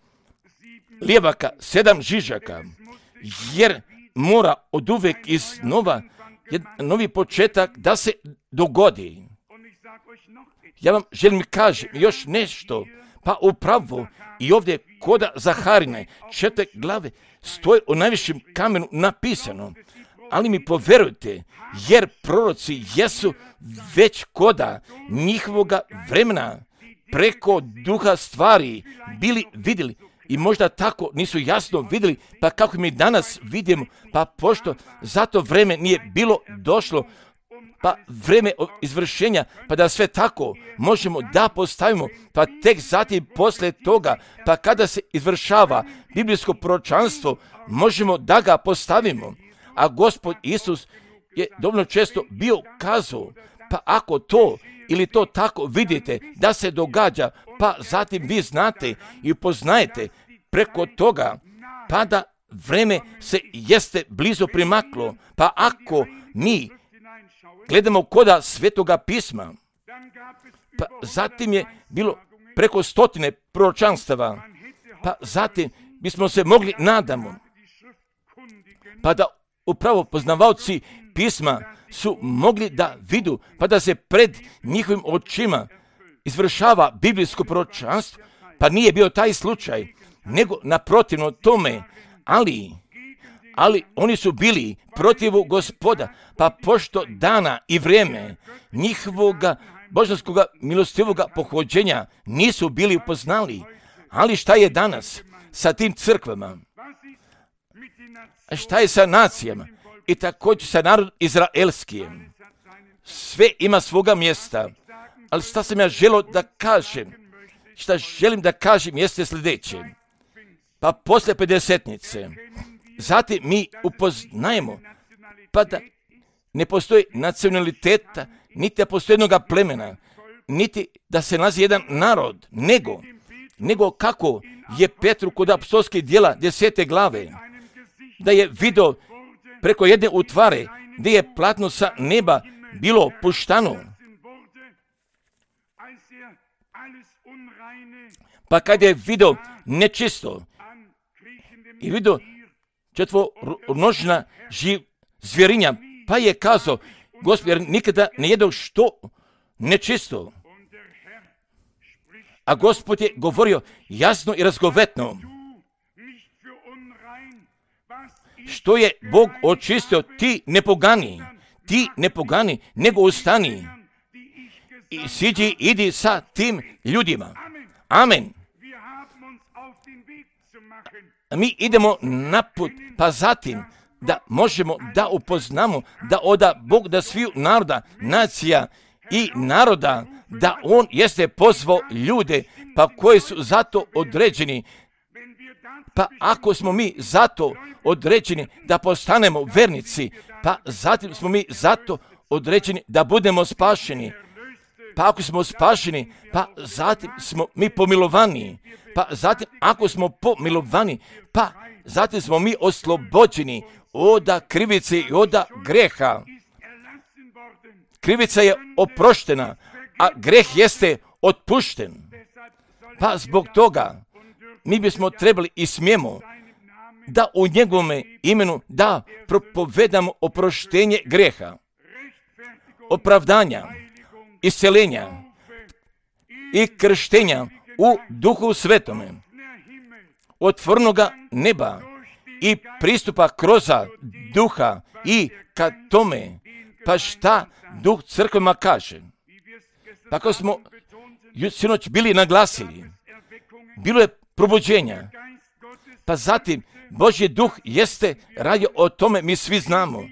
lijevaka, 7 žižaka, jer mora od uvek iznova novi početak da se dogodi. Ja vam želim kažem još nešto, pa upravo i ovdje koda Zaharine 4 glave stoji u najvišem kamenu napisano, ali mi poverujte, jer proroci jesu već koda njihovoga vremena preko duha stvari bili vidjeli i možda tako nisu jasno vidjeli, pa kako mi danas vidimo, pa pošto zato vreme nije bilo došlo, pa vreme izvršenja, pa da sve tako možemo da postavimo, pa tek zatim poslije toga, pa kada se izvršava biblijsko proročanstvo, možemo da ga postavimo. A Gospod Isus je dovoljno često bio kazao, pa ako to ili to tako vidite da se događa, pa zatim vi znate i upoznajete preko toga, pa da vreme se jeste blizu primaklo, pa ako mi gledamo koda Svetoga pisma, pa zatim je bilo preko 100 proročanstava, pa zatim bismo se mogli nadamo, pa da upravo poznavaoci pisma su mogli da vidu, pa da se pred njihovim očima izvršava biblijsko proročanstvo, pa nije bio taj slučaj, nego naprotivno tome, ali oni su bili protivu Gospoda, pa pošto dana i vrijeme njihovoga božanskoga milostivoga pohođenja nisu bili upoznali. Ali šta je danas sa tim crkvama? Šta je sa nacijama? I također sa narodom izraelskim? Sve ima svoga mjesta. Ali šta sam ja želio da kažem? Šta želim da kažem jeste sljedeće. Pa poslije 50-nice, zatim mi upoznajemo, pa da ne postoji nacionaliteta, niti da postoji jednoga plemena, niti da se nalazi jedan narod, nego kako je Petru kod apostolskih djela 10. glave, da je vidio preko jedne utvare gdje je platno sa neba bilo puštano. Pa kad je vidio nečisto i vidio četvoronožna zvjerinja, pa je kazao, Gospod, jer nikada ne jedu što nečisto. A Gospod je govorio jasno i razgovetno. Što je Bog očistio, ti ne pogani, nego ustani i siđi, idi sa tim ljudima. Amen. Mi idemo naput, pa zatim da možemo da upoznamo da oda Bog da sviju naroda, nacija i naroda, da On jeste pozvao ljude, pa koji su zato određeni. Pa ako smo mi zato određeni da postanemo vernici, pa zatim smo mi zato određeni da budemo spašeni. Pa ako smo spašeni, pa zatim smo mi pomilovani. Pa zatim ako smo pomilovani, pa zatim smo mi oslobođeni od krivice i od greha. Krivica je oproštena, a greh jeste otpušten. Pa zbog toga mi bismo trebali i smijemo da u njegovome imenu da propovedamo oproštenje greha, opravdanja, isceljenja i krštenja u Duhu Svetome, otvornoga neba i pristupa kroz Duha i ka tome, pa šta Duh crkvama kaže. Pa kao smo sinoć bili naglasili, bilo je probuđenja, pa zatim Božji Duh jeste radio o tome, mi svi znamo.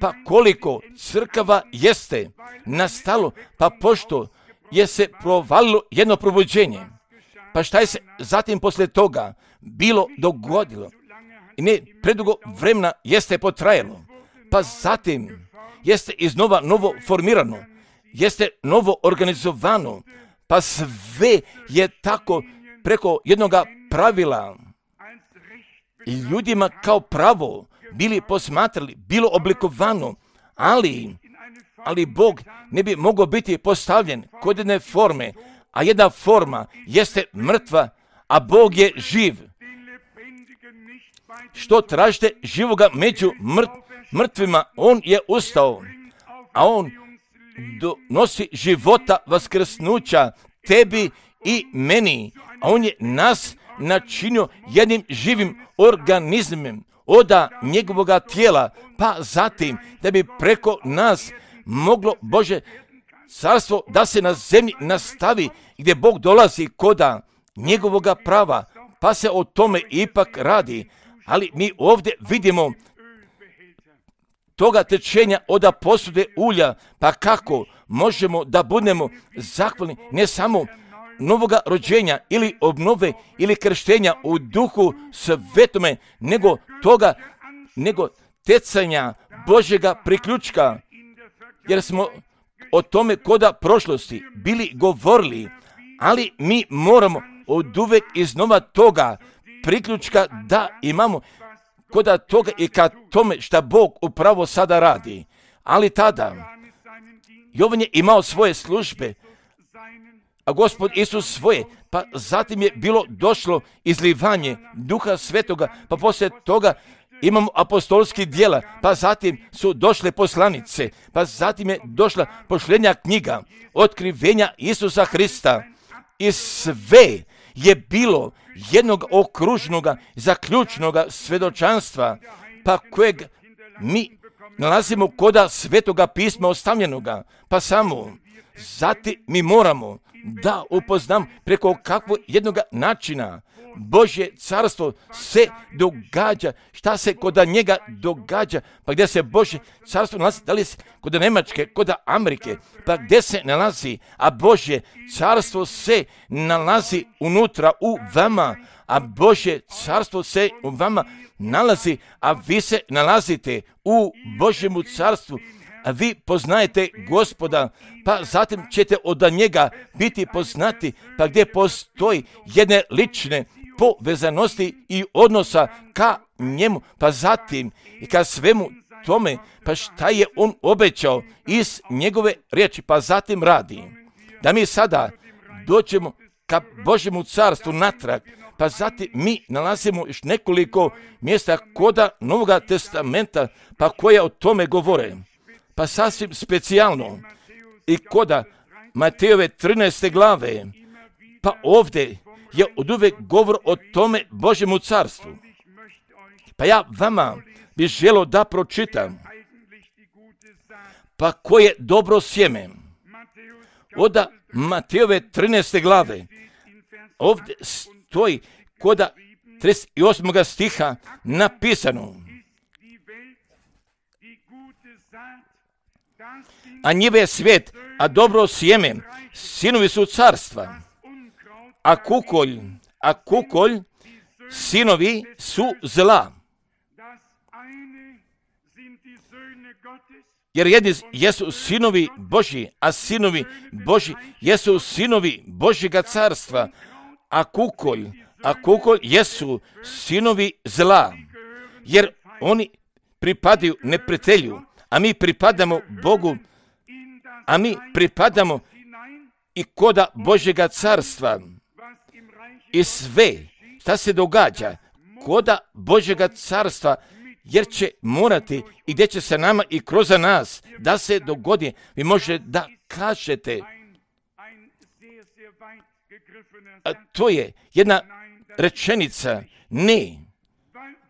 Pa koliko crkava jeste nastalo, pa pošto je se provalilo jedno probuđenje, pa šta je se zatim poslije toga bilo dogodilo? I ne predugo vremena jeste potrajalo, pa zatim jeste iznova novo formirano, jeste novo organizovano, pa sve je tako preko jednoga pravila ljudima kao pravo bili posmatrali, bilo oblikovano, ali Bog ne bi mogao biti postavljen kod jedne forme, a jedna forma jeste mrtva, a Bog je živ. Što tražite živoga među mrtvima, on je ustao, a on donosi života vaskrsnuća tebi i meni, a on je nas načinio jednim živim organizmom oda njegovoga tijela, pa zatim da bi preko nas moglo Bože carstvo da se na zemlji nastavi, gdje Bog dolazi koda njegovoga prava, pa se o tome ipak radi. Ali mi ovdje vidimo toga tečenja oda posude ulja, pa kako možemo da budemo zahvalni ne samo novoga rođenja ili obnove ili krštenja u duhu svetome, nego tecanja Božjega priključka, jer smo o tome koda prošlosti bili govorili, ali mi moramo oduvek iznova toga priključka da imamo koda toga i ka tome šta Bog upravo sada radi. Ali tada Jovan je imao svoje službe, a Gospod Isus svoje, pa zatim je bilo došlo izlivanje Duha Svetoga, pa poslije toga imamo apostolski djela, pa zatim su došle poslanice, pa zatim je došla pošljenja knjiga, otkrivenja Isusa Hrista i sve je bilo jednog okružnog zaključnoga svedočanstva, pa kojeg mi nalazimo koda Svetoga pisma ostavljenoga, pa samo zatim mi moramo da upoznam preko kakvog jednog načina Božje carstvo se događa, šta se koda njega događa, pa gdje se Božje carstvo nalazi, da li se koda Njemačke, koda Amerike, pa gdje se nalazi, a Božje carstvo se nalazi unutra u vama, a Božje carstvo se u vama nalazi, a vi se nalazite u Božjemu carstvu, a vi poznajete Gospoda, pa zatim ćete od njega biti poznati, pa gdje postoji jedne lične povezanosti i odnosa ka njemu, pa zatim i ka svemu tome, pa šta je on obećao iz njegove riječi, pa zatim radi. Da mi sada dođemo ka Božjemu carstvu natrag, pa zatim mi nalazimo još nekoliko mjesta koda Novoga testamenta, pa koje o tome govore. Pa sasvim specijalno i koda Matejove 13. glave, pa ovdje je oduvek govor o tome Božjemu carstvu. Pa ja vama bih želio da pročitam, pa koje dobro sjeme. Oda Matejove 13. glave, ovdje stoji koda 38. stiha napisano: a njive je svijet, a dobro sjeme, sinovi su carstva, a kukolj, sinovi su zla. Jer jedni jesu sinovi Božji, a sinovi Božji jesu sinovi Božjega carstva, a kukolj jesu sinovi zla, jer oni pripadaju neprijatelju, a mi pripadamo Bogu, a mi pripadamo i koda Božjega carstva. I sve šta se događa koda Božjega carstva, jer će morati i gdje će se nama i kroz nas da se dogodi, vi možete da kažete, a to je jedna rečenica, ne,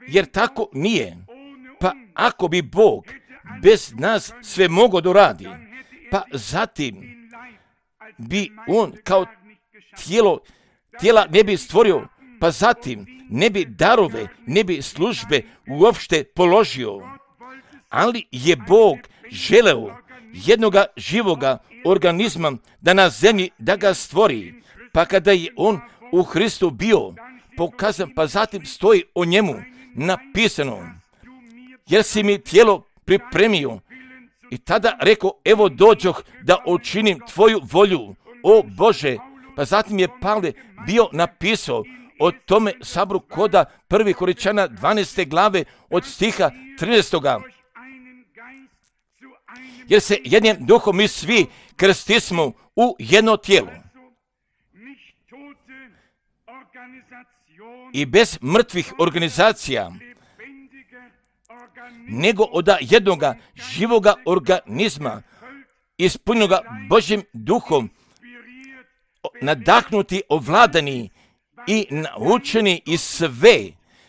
jer tako nije. Pa ako bi Bog bez nas sve mogao doradi, pa zatim bi on kao tijela ne bi stvorio, pa zatim ne bi darove, ne bi službe uopšte položio. Ali je Bog želeo jednoga živoga organizma da na zemlji da ga stvori, pa kada je on u Hristu bio pokazan, pa zatim stoji o njemu napisano: jer si mi tijelo pripremio. I tada rekao, evo dođoh da učinim tvoju volju, o Bože. Pa zatim je Pavle bio napisao o tome sabru koda 1. Korinčana 12. glave od stiha 13. Jer se jednim duhom mi svi krstismo u jedno tijelo. i bez mrtvih organizacija, nego od jednoga živoga organizma, ispunjenoga Božjim duhom, nadahnuti, ovladani i naučeni i sve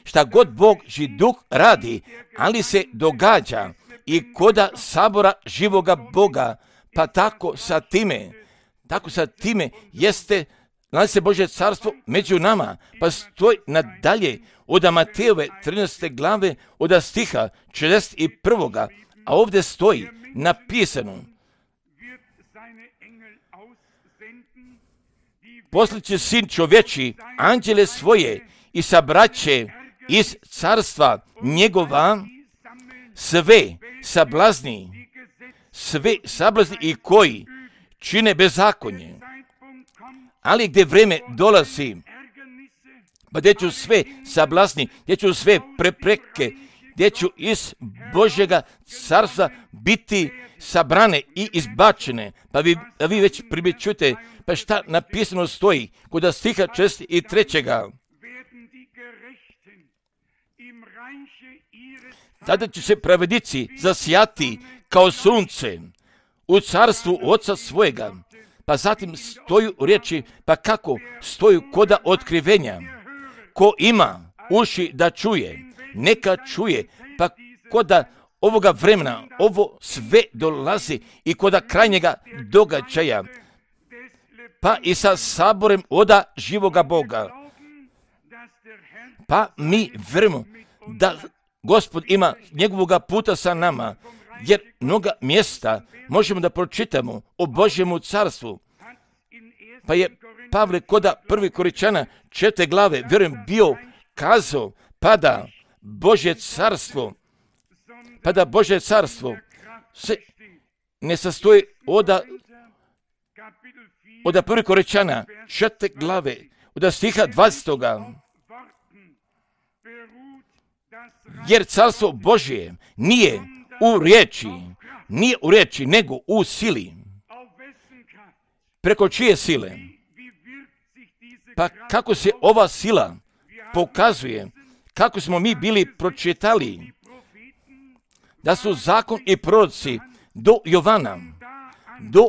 šta god Božji duh radi, ali se događa i koda sabora živoga Boga, pa tako sa time jeste, nalazi se Božje carstvo među nama, pa stoji nadalje od Matejove 13. glave od stiha 41. A ovdje stoji napisano: posliće sin čovječi anđele svoje i sabraće iz carstva njegova sve sablazni i koji čine bezakonje. Ali gdje vreme dolazi, pa gdje ću sve sablasni, gdje ću sve prepreke, gdje ću iz Božjega carstva biti sabrane i izbačene. Pa vi već primjećujete, pa šta napisano stoji kod stiha 43. Tada će se pravednici zasijati kao sunce u carstvu Oca svojega. Pa zatim stoju riječi, pa kako stoju koda otkrivenja. Ko ima uši da čuje, neka čuje, pa koda ovoga vremena, ovo sve dolazi i koda krajnjega događaja, pa i sa saborem oda živoga Boga. Pa mi vjerujemo da Gospod ima njegovoga puta sa nama, jer mnoga mjesta možemo da pročitamo o Božjemu carstvu. Pa je Pavle koda 1. Korinčana 4. glave, vjerujem, bio kazao, pa da Božje carstvo se ne sastoji od 1. Korinčana 4. glave, od stiha 20. Jer carstvo Božje nije u riječi, nego u sili. Preko čije sile? Pa kako se ova sila pokazuje, kako smo mi bili pročitali, da su zakon i proroci do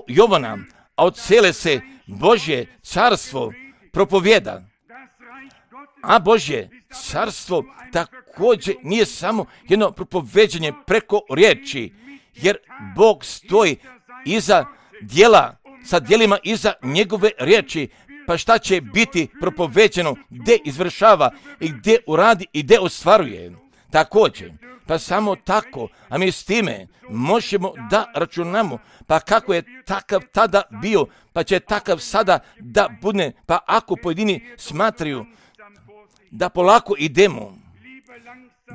Jovana, a od cele se Božje carstvo propovjeda. A Božje carstvo također nije samo jedno propoveđenje preko riječi, jer Bog stoji iza djela, sa djelima iza njegove riječi. Pa šta će biti propoveđeno, gdje izvršava i gdje uradi i gdje ostvaruje. Također, pa samo tako, a mi s time možemo da računamo, pa kako je takav tada bio, pa će takav sada da bude, pa ako pojedini smatraju da polako idemo,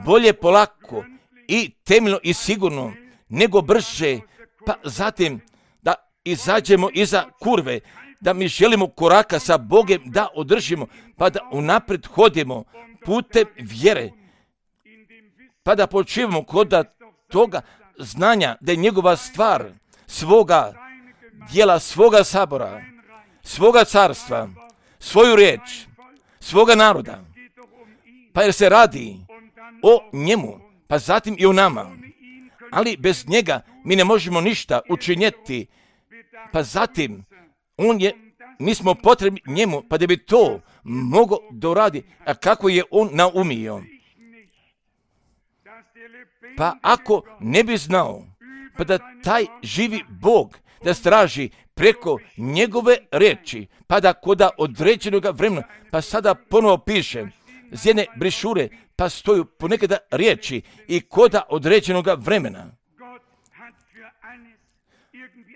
bolje polako i temeljno i sigurno, nego brže, pa zatim da izađemo iza kurve, da mi želimo koraka sa Bogem da održimo, pa da unaprijed hodimo putem vjere, pa da počivamo kod toga znanja da je njegova stvar, svoga djela, svoga sabora, svoga carstva, svoju riječ, svoga naroda, pa jer se radi o njemu, pa zatim i o nama. Ali bez njega mi ne možemo ništa učinjeti, pa zatim mi smo potrebni njemu, pa da bi to mogao doradi, a kako je on naumio. Pa ako ne bi znao, pa da taj živi Bog da straži preko njegove riječi, pa da koda određenog vremena, pa sada ponovo piše, z jedne brišure, pa stoju ponekada riječi i koda određenog vremena.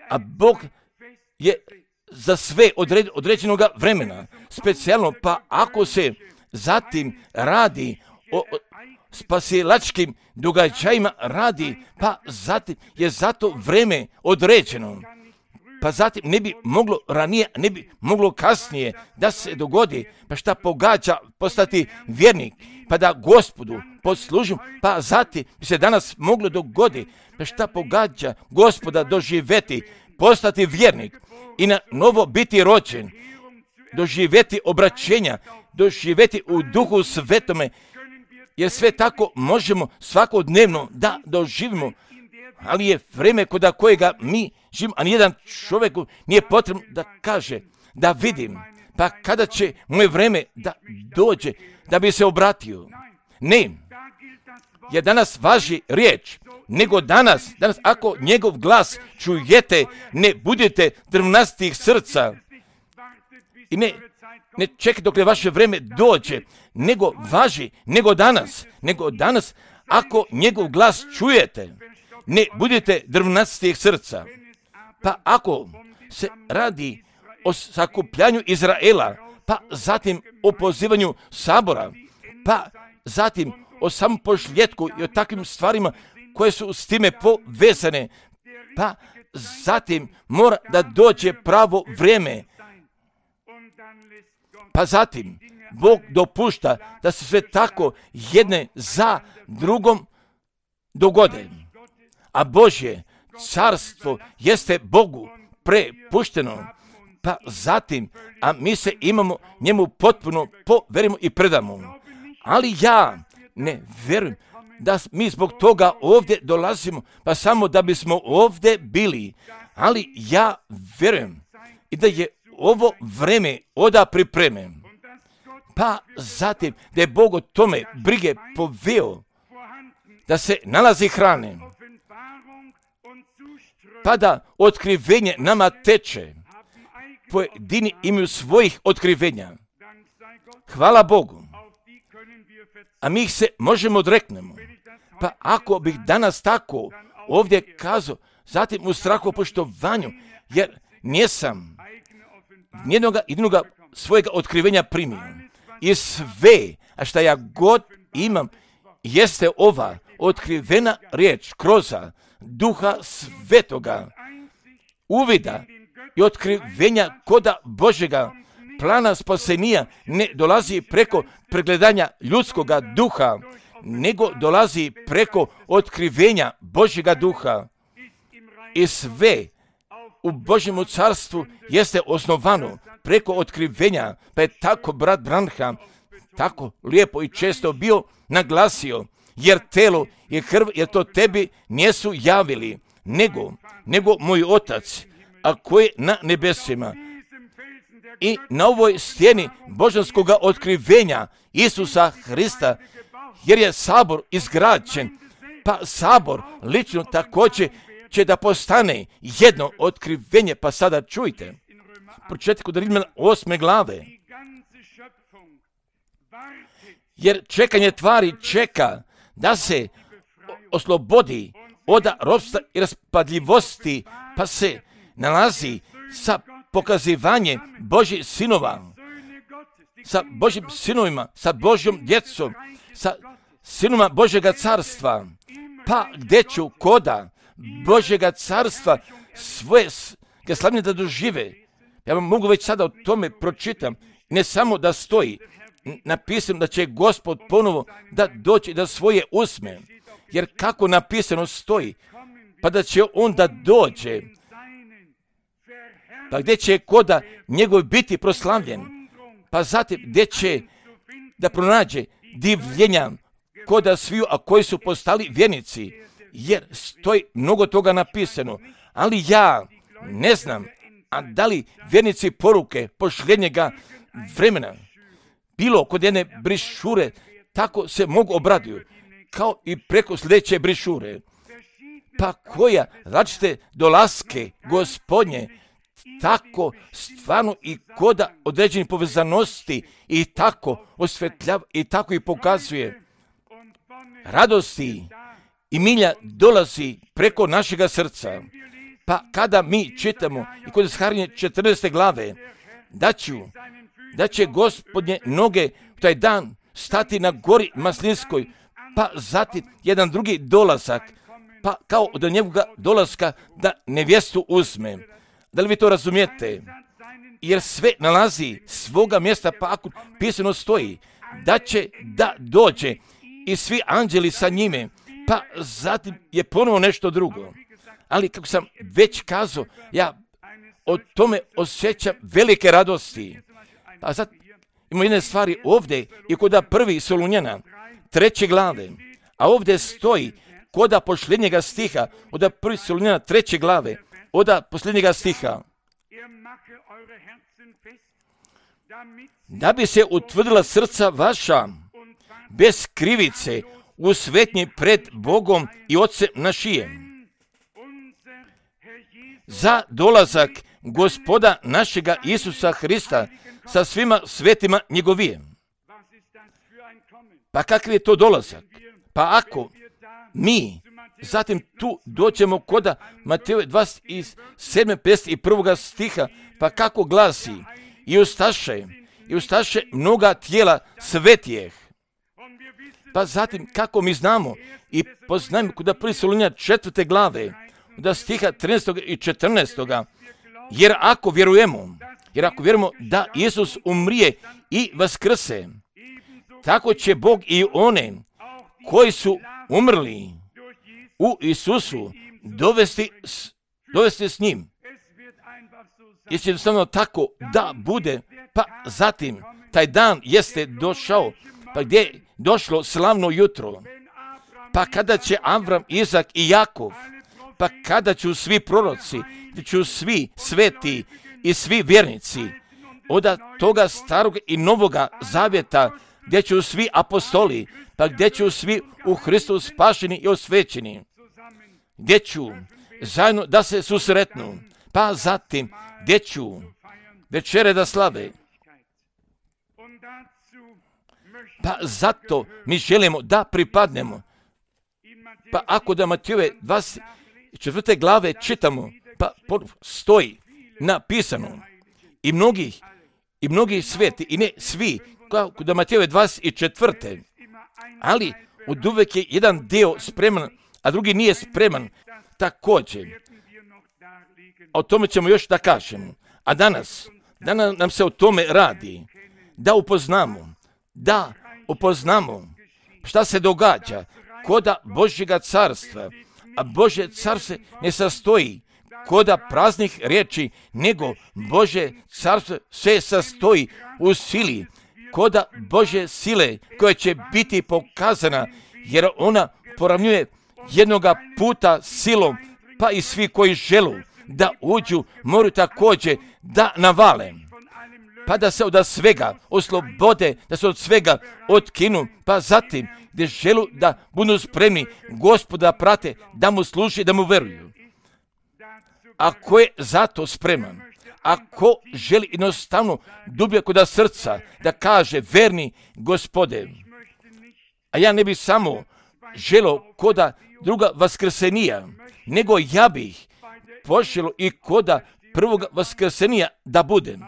A Bog je za sve određenog vremena, specijalno, pa ako se zatim radi o spasilačkim događajima radi, pa zatim je zato vreme određeno. Pa zatim ne bi moglo ranije, ne bi moglo kasnije da se dogodi, pa šta pogađa postati vjernik, pa da Gospodu poslužim, pa zatim bi se danas moglo dogoditi, pa šta pogađa Gospoda doživjeti, postati vjernik i na novo biti rođen, doživjeti obraćenja, doživjeti u Duhu Svetome, jer sve tako možemo svakodnevno da doživimo, ali je vreme kod kojega mi živimo, a nijedan čovjeku nije potrebno da kaže, da vidim, pa kada će moje vreme da dođe, da bi se obratio. Ne, jer danas važi riječ, nego danas ako njegov glas čujete, ne budete drvnastih srca i ne čekajte dok vaše vreme dođe, nego važi, nego danas ako njegov glas čujete, ne budete drvnastih srca. Pa ako se radi o sakupljanju Izraela, pa zatim o pozivanju sabora, pa zatim o samom pošljetku i o takvim stvarima koje su s time povezane, pa zatim mora da dođe pravo vrijeme, pa zatim Bog dopušta da se sve tako jedne za drugom dogode. A Božje carstvo jeste Bogu prepušteno, pa zatim, a mi se imamo njemu potpuno poverimo i predamo. Ali ja ne vjerujem da mi zbog toga ovdje dolazimo, pa samo da bismo ovdje bili. Ali ja vjerujem i da je ovo vreme oda pripreme. Pa zatim da je Bog o tome brige poveo, da se nalazi hrane, pa da otkrivenje nama teče. Pojedini imaju svojih otkrivenja. Hvala Bogu. A mi ih se možemo odreknemo. Pa ako bih danas tako ovdje kazao, zatim u strahu poštovanju, jer nisam nijednoga svojega otkrivenja primio. I sve, a šta ja god imam, jeste ova otkrivena riječ kroz Duha Svetoga, uvida i otkrivenja koda Božjega plana spasenija ne dolazi preko pregledanja ljudskoga duha, nego dolazi preko otkrivenja Božjega duha. I sve u Božjemu carstvu jeste osnovano preko otkrivenja, pa je tako brat Branham tako lijepo i često bio naglasio, jer telo i krv je to tebi nisu javili, nego moj Otac, a koji na nebesima. I na ovoj stijeni božanskoga otkrivenja Isusa Hrista, jer je sabor izgrađen, pa sabor lično također će da postane jedno otkrivenje. Pa sada čujte, pročitajte kod Rimljana 8. glave, jer čekanje tvari čeka da se oslobodi od ropstva i raspadljivosti, pa se nalazi sa pokazivanjem Božjih sinova, sa Božjim sinovima, sa Božjom djecom, sa sinovima Božjega carstva, pa gdje ću koda Božjega carstva svoje slavljenje da dožive. Ja vam mogu već sada o tome pročitam, ne samo da stoji napisano da će Gospod ponovo da doći da svoje usme, jer kako napisano stoji, pa da će on da dođe, pa gdje će koda njegov biti proslavljen, pa zatim gdje će da pronađe divljenja koda sviju, a koji su postali vjernici, jer stoji mnogo toga napisano, ali ja ne znam, a da li vjernici poruke pošljenjega vremena, bilo kod jedne brišure, tako se mogu obraduju, kao i preko sljedeće brišure, pa koja različite dolaske Gospodnje, tako stvarno i koda određenih povezanosti i tako osvetljava i tako i pokazuje radosti i milja dolazi preko našega srca. Pa kada mi čitamo i kod Zaharije 14. glave, da će Gospodnje noge u taj dan stati na gori Maslinskoj, pa zatim jedan drugi dolazak, pa kao od njegoga dolaska da nevjestu uzme. Da li vi to razumijete? Jer sve nalazi svoga mjesta, pa ako pisano stoji da će da dođe i svi anđeli sa njime, pa zatim je ponovo nešto drugo. Ali kako sam već kazao, ja o tome osjećam velike radosti. Pa zatim Ima jedne stvari ovdje i kod 1. Solunjana, 3. glave, a ovdje stoji kod posljednjega stiha, od 1. Solunjana 3. glave, od posljednjega stiha. Da bi se utvrdila srca vaša bez krivice u svetnji pred Bogom i Otcem našijem. Za dolazak Gospoda našega Isusa Hrista sa svima svetima njegovijem. Pa kakav je to dolazak? Pa ako mi zatim tu dođemo kod Matejove 27. stiha, pa kako glasi: i ustaše mnoga tijela svetijeh. Pa zatim kako mi znamo i poznajemo kod 1. Solunjana 4. glave, od stiha 13. i 14. Jer ako vjerujemo da Isus umrije i vaskrse, tako će Bog i one koji su umrli u Isusu dovesti s njim. Jesi jednostavno tako da bude, pa zatim taj dan jeste došao, pa gdje je došlo slavno jutro, pa kada će Avram, Izak i Jakov, pa kada ću svi proroci, gdje ću svi sveti i svi vjernici, od toga starog i novoga zavjeta, gdje ću svi apostoli, pa gdje ću svi u Hristu spašeni i osvećeni, gdje ću zajedno da se susretnu, pa zatim gdje ću večere da slave. Pa zato mi želimo da pripadnemo. Pa ako da Matejove 24. glave čitamo, pa stoji napisano i mnogi sveti, i ne svi, kao da Matejove 24. Ali od uvek je jedan dio spreman, a drugi nije spreman. Također, o tome ćemo još da kažemo. A danas nam se o tome radi, da upoznamo šta se događa koda Božjega carstva. A Božje carstvo ne sastoji koda praznih riječi, nego Božje carstvo se sastoji u sili, koda Božje sile koja će biti pokazana, jer ona poravnjuje jednoga puta silom, pa i svi koji želu da uđu moraju također da navale, pa da se od svega oslobode, da se od svega otkinu, pa zatim gdje želu da budu spremni Gospoda prate, da mu služi, da mu veruju. Ako je zato spreman, ako želi jednostavno dublje kod srca da kaže verni Gospode, a ja ne bih samo želo koda druga vaskrsenija, nego ja bih poželo i koda prvog vaskrsenija da budem.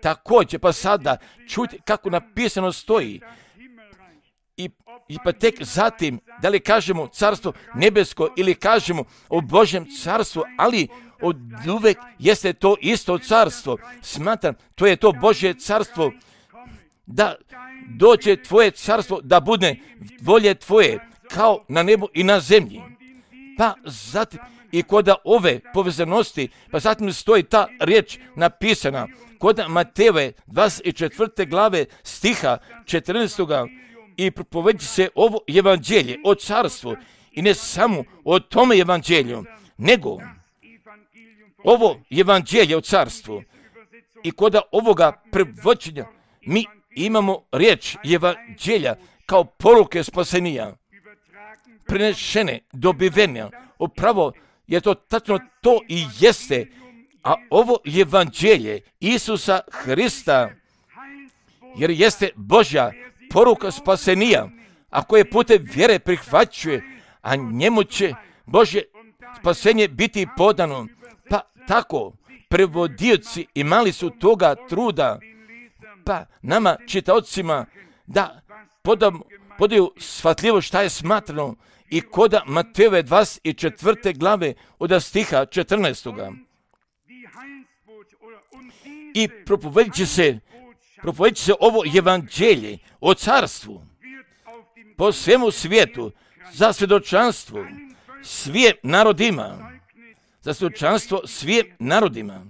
Također, pa sada čujte kako napisano stoji. I pa tek zatim, da li kažemo carstvo nebesko ili kažemo o Božjem carstvu, ali od uvek jeste to isto carstvo. Smatram, to je to Božje carstvo, da dođe tvoje carstvo, da bude volje tvoje, kao na nebu i na zemlji. Pa zatim, i kod ove povezanosti, pa zatim stoji ta riječ napisana, kod Matejove 24. glave stiha 14. I propovedći se ovo evanđelje o carstvu, i ne samo o tome evanđelju, nego ovo evanđelje o carstvu. I kod ovoga prevođenja mi imamo riječ evanđelja kao poruke spasenija, prenešene, dobivene. Upravo je to tačno to i jeste, a ovo evanđelje Isusa Hrista, jer jeste Božja poruka spasenija, a koje putem vjere prihvaćuje, a njemu će Božje spasenje biti podano. Pa tako, prevodioci imali su toga truda, pa nama čitaocima da podaju shvatljivo šta je smatrano i koda Matejove 24. glave od stiha 14. I propovedit će se ovo evanđelje o carstvu po svemu svijetu za svjedočanstvo svim narodima. Za svjedočanstvo svim narodima.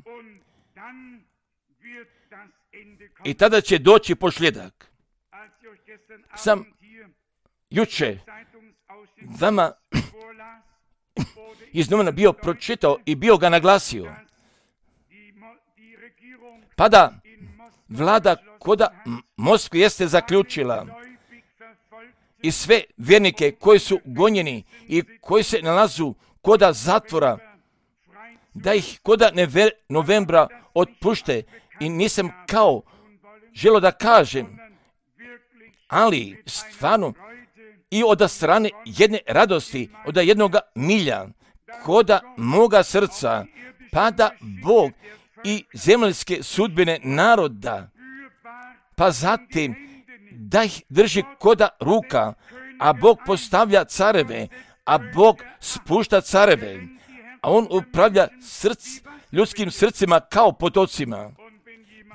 I tada će doći posljedak. Sam juče vama iz novina bio pročitao i bio ga naglasio. Pa da vlada koda Moskve jeste zaključila i sve vjernike koji su gonjeni i koji se nalazu koda zatvora, da ih koda novembra otpušte. I nisam kao želo da kažem, ali stvarno i od strane jedne radosti, od jednoga milja, koda moga srca, pada Bog i zemaljske sudbine naroda, pa zatim da ih drži koda ruka, a Bog postavlja careve, a Bog spušta careve, a On upravlja ljudskim srcima kao potocima.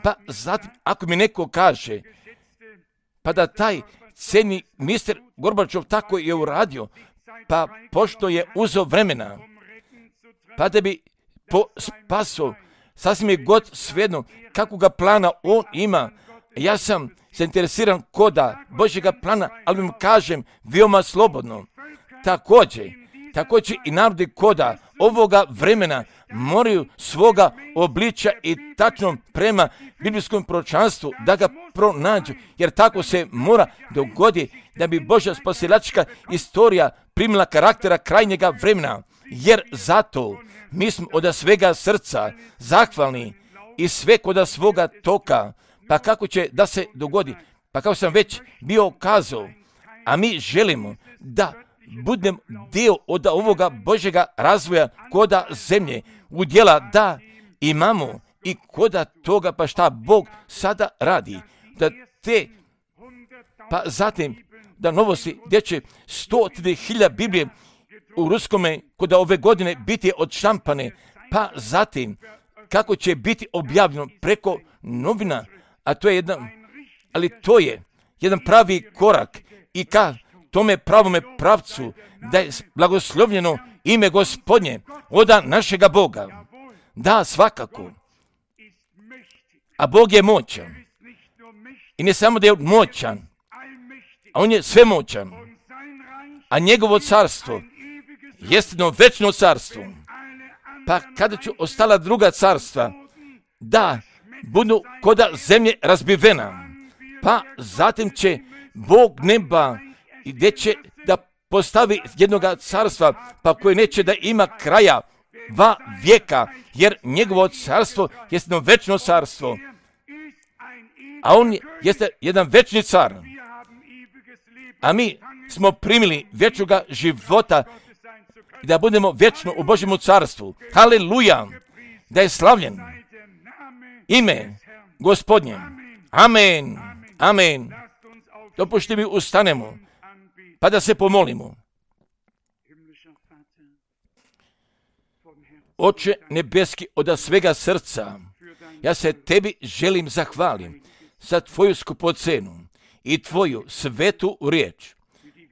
Pa zatim, ako mi neko kaže, pa da taj cijeni mister Gorbačov tako je uradio, pa pošto je uzeo vremena, pa da bi spaso, sasvim je god svejedno kakvoga plana on ima. Ja sam zainteresiran koda Božjega plana, ali vam kažem veoma slobodno. Također i narodi koda ovoga vremena moraju svoga obličja i tačno prema biblijskom proročanstvu da ga pronađu, jer tako se mora dogoditi da bi Božja spasilačka istorija primila karaktera krajnjega vremena, jer zato mi smo od svega srca zahvalni i sve koda svoga toka. Pa kako će da se dogodi? Pa kako sam već bio kazao, a mi želimo da budem dio od ovoga Božjega razvoja koda zemlje, udjela da imamo i koda toga pa šta Bog sada radi. Da te, pa zatim da novosti gdje će 100.000 Biblije u ruskome koda ove godine biti odštampane, pa zatim kako će biti objavljeno preko novina, a to je to je jedan pravi korak i ka tome pravome pravcu da je blagoslovljeno ime Gospodnje oda našega Boga. Da, svakako. A Bog je moćan. I ne samo da je moćan, a On je svemoćan. A njegovo carstvo jest jedno večno carstvo. Pa kada će ostala druga carstva da budu koda zemlje razbivena, pa zatim će Bog neba i gdje će da postavi jednoga carstva, pa koje neće da ima kraja va vijeka, jer njegovo carstvo je jedno večno carstvo, a On jeste jedan večni car. A mi smo primili vječnoga života i da budemo vječno u Božjemu carstvu. Haleluja! Da je slavljen ime Gospodnje. Amen. Amen. Dopušti mi ustanemo, pa da se pomolimo. Oče nebeski, od svega srca, ja se Tebi želim zahvalim za Tvoju skupocenu i Tvoju svetu riječ.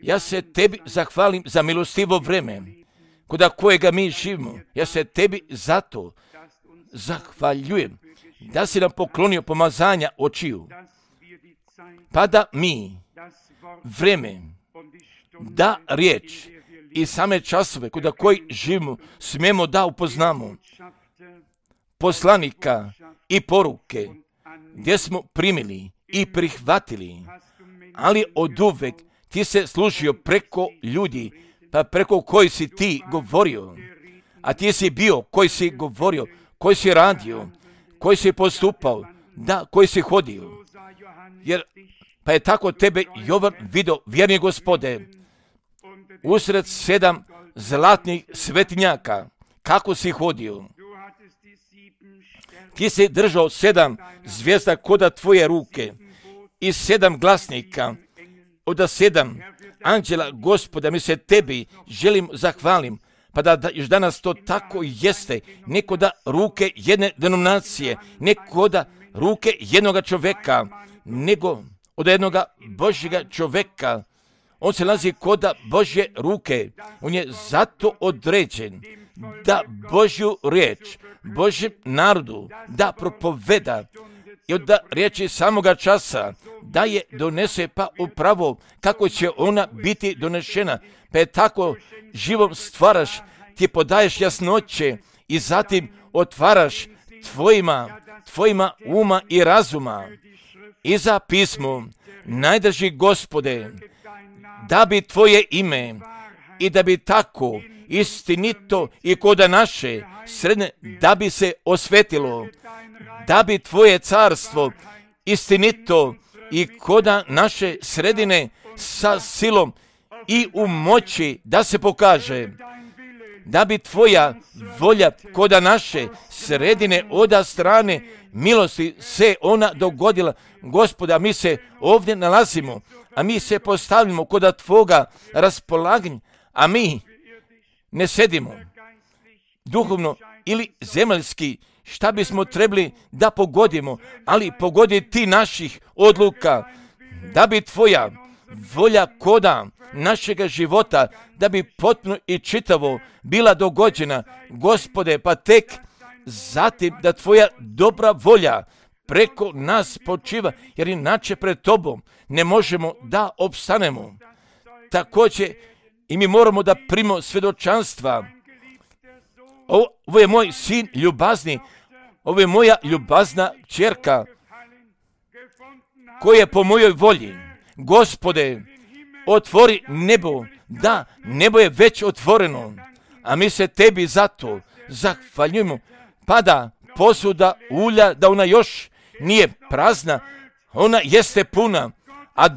Ja se Tebi zahvalim za milostivo vreme, koda kojega mi živimo. Ja se Tebi zato zahvaljujem da si nam poklonio pomazanja očiju, pa da mi vreme, da riječ i same časove koda koji živimo smijemo da upoznamo poslanika i poruke gdje smo primili i prihvatili, ali od uvek Ti se služio preko ljudi, pa preko koji si Ti govorio, a Ti si bio koji si govorio, koji si radio, koji si postupao, da, koji si hodio. Jer, pa je tako Tebe Jovan vidio, vjerni Gospode, usred 7 zlatnih svetinjaka, kako si hodio. Ti si držao 7 zvijezda koda Tvoje ruke i 7 glasnika od 7 anđela Gospoda. Mi se Tebi želim zahvalim, pa da još danas to tako jeste, neko da ruke jedne denominacije, neko da ruke jednoga čovjeka, nego od jednoga Božjega čovjeka. On se nalazi koda Božje ruke. On je zato određen da Božju riječ, Božjem narodu da propoveda, i od riječi samoga časa da je donese pa upravo kako će ona biti donešena. Pa je tako živom stvaraš, ti podaješ jasnoće i zatim otvaraš tvojima uma i razuma. I za pismo, najdrži Gospode, da bi tvoje ime i da bi tako istinito i koda naše sredne, da bi se osvetilo, da bi tvoje carstvo istinito i koda naše sredine sa silom i u moći da se pokaže, da bi tvoja volja koda naše sredine oda strane milosti se ona dogodila. Gospoda, mi se ovdje nalazimo, a mi se postavljamo koda tvoga raspolaganja, a mi ne sedimo duhovno ili zemaljski, šta bismo trebali da pogodimo, ali pogodi ti naših odluka, da bi tvoja volja koda našega života, da bi potpuno i čitavo bila dogođena, Gospode, pa tek zatim da tvoja dobra volja preko nas počiva, jer inače pred tobom ne možemo da opstanemo. Također i mi moramo da primimo svjedočanstva. Ovo je moj sin ljubazni, ovo je moja ljubazna kćerka, koja je po mojoj volji. Gospode, otvori nebo, da, nebo je već otvoreno, a mi se tebi zato zahvaljujemo. Pada posuda ulja, da ona još nije prazna, ona jeste puna, a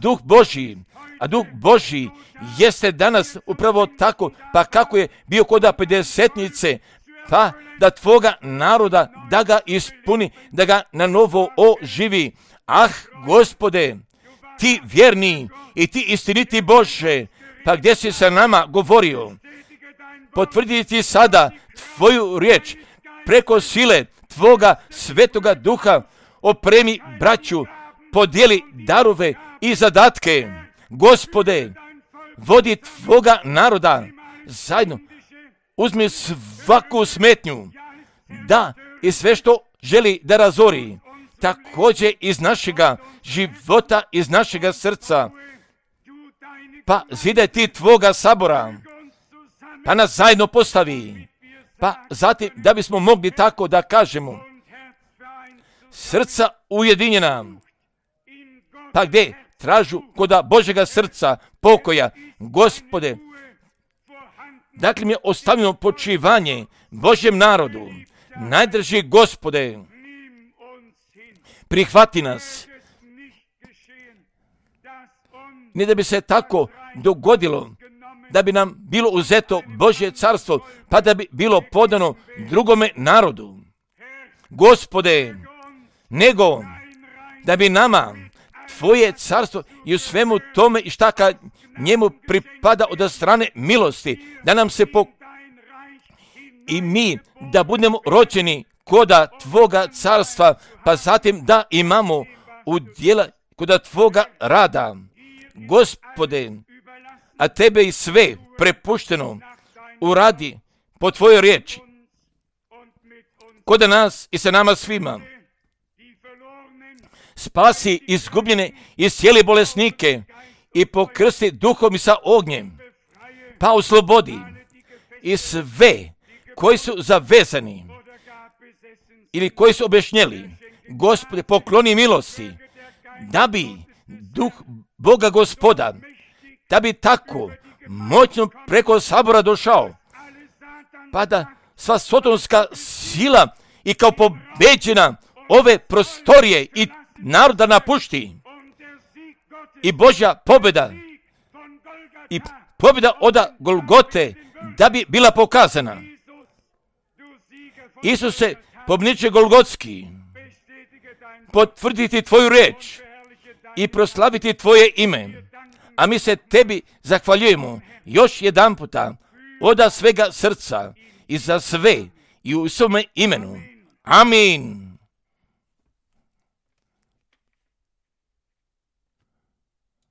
Duh Božji jeste danas upravo tako, pa kako je bio koda pedesetnice, pa da tvoga naroda da ga ispuni, da ga na novo oživi. Ah, Gospode, ti vjerni i ti istiniti Bože, pa gdje si sa nama govorio, potvrditi sada tvoju riječ preko sile tvoga svetoga duha, opremi braću, podijeli darove i zadatke. Gospode, vodi tvoga naroda zajedno, uzmi svaku smetnju, da i sve što želi da razori, također iz našega života, iz našega srca, pa zidaj ti tvoga sabora, pa nas zajedno postavi, pa zatim da bismo mogli tako da kažemo, srca ujedinjena, pa gdje tražu koda Božega srca pokoja, Gospode, dakle mi je ostavljeno počivanje Božjem narodu, najdrži Gospode, prihvati nas, ne da bi se tako dogodilo, da bi nam bilo uzeto Božje carstvo, pa da bi bilo podano drugome narodu. Gospode, nego da bi nama tvoje carstvo i u svemu tome i šta kad njemu pripada od strane milosti, da nam se i mi da budemo rođeni koda tvoga carstva, pa zatim da imamo udjela koda tvoga rada. Gospode, a tebe i sve prepušteno uradi po tvojoj riječi, koda nas i sa nama svima. Spasi izgubljene i cijeli bolesnike i pokrsti duhom i sa ognjem, pa oslobodi i sve koji su zavezani ili koji su objašnjeli. Gospode, pokloni milosti, da bi duh Boga Gospoda, da bi tako moćno preko sabora došao, pa da sva sotonska sila i kao pobeđena ove prostorije i naroda napušti i Božja pobjeda i pobjeda od Golgote da bi bila pokazana. Isuse, pobjedniče Golgotski, potvrditi tvoju riječ i proslaviti tvoje ime, a mi se tebi zahvaljujemo još jedan puta od svega srca i za sve i u svome imenu. Amin.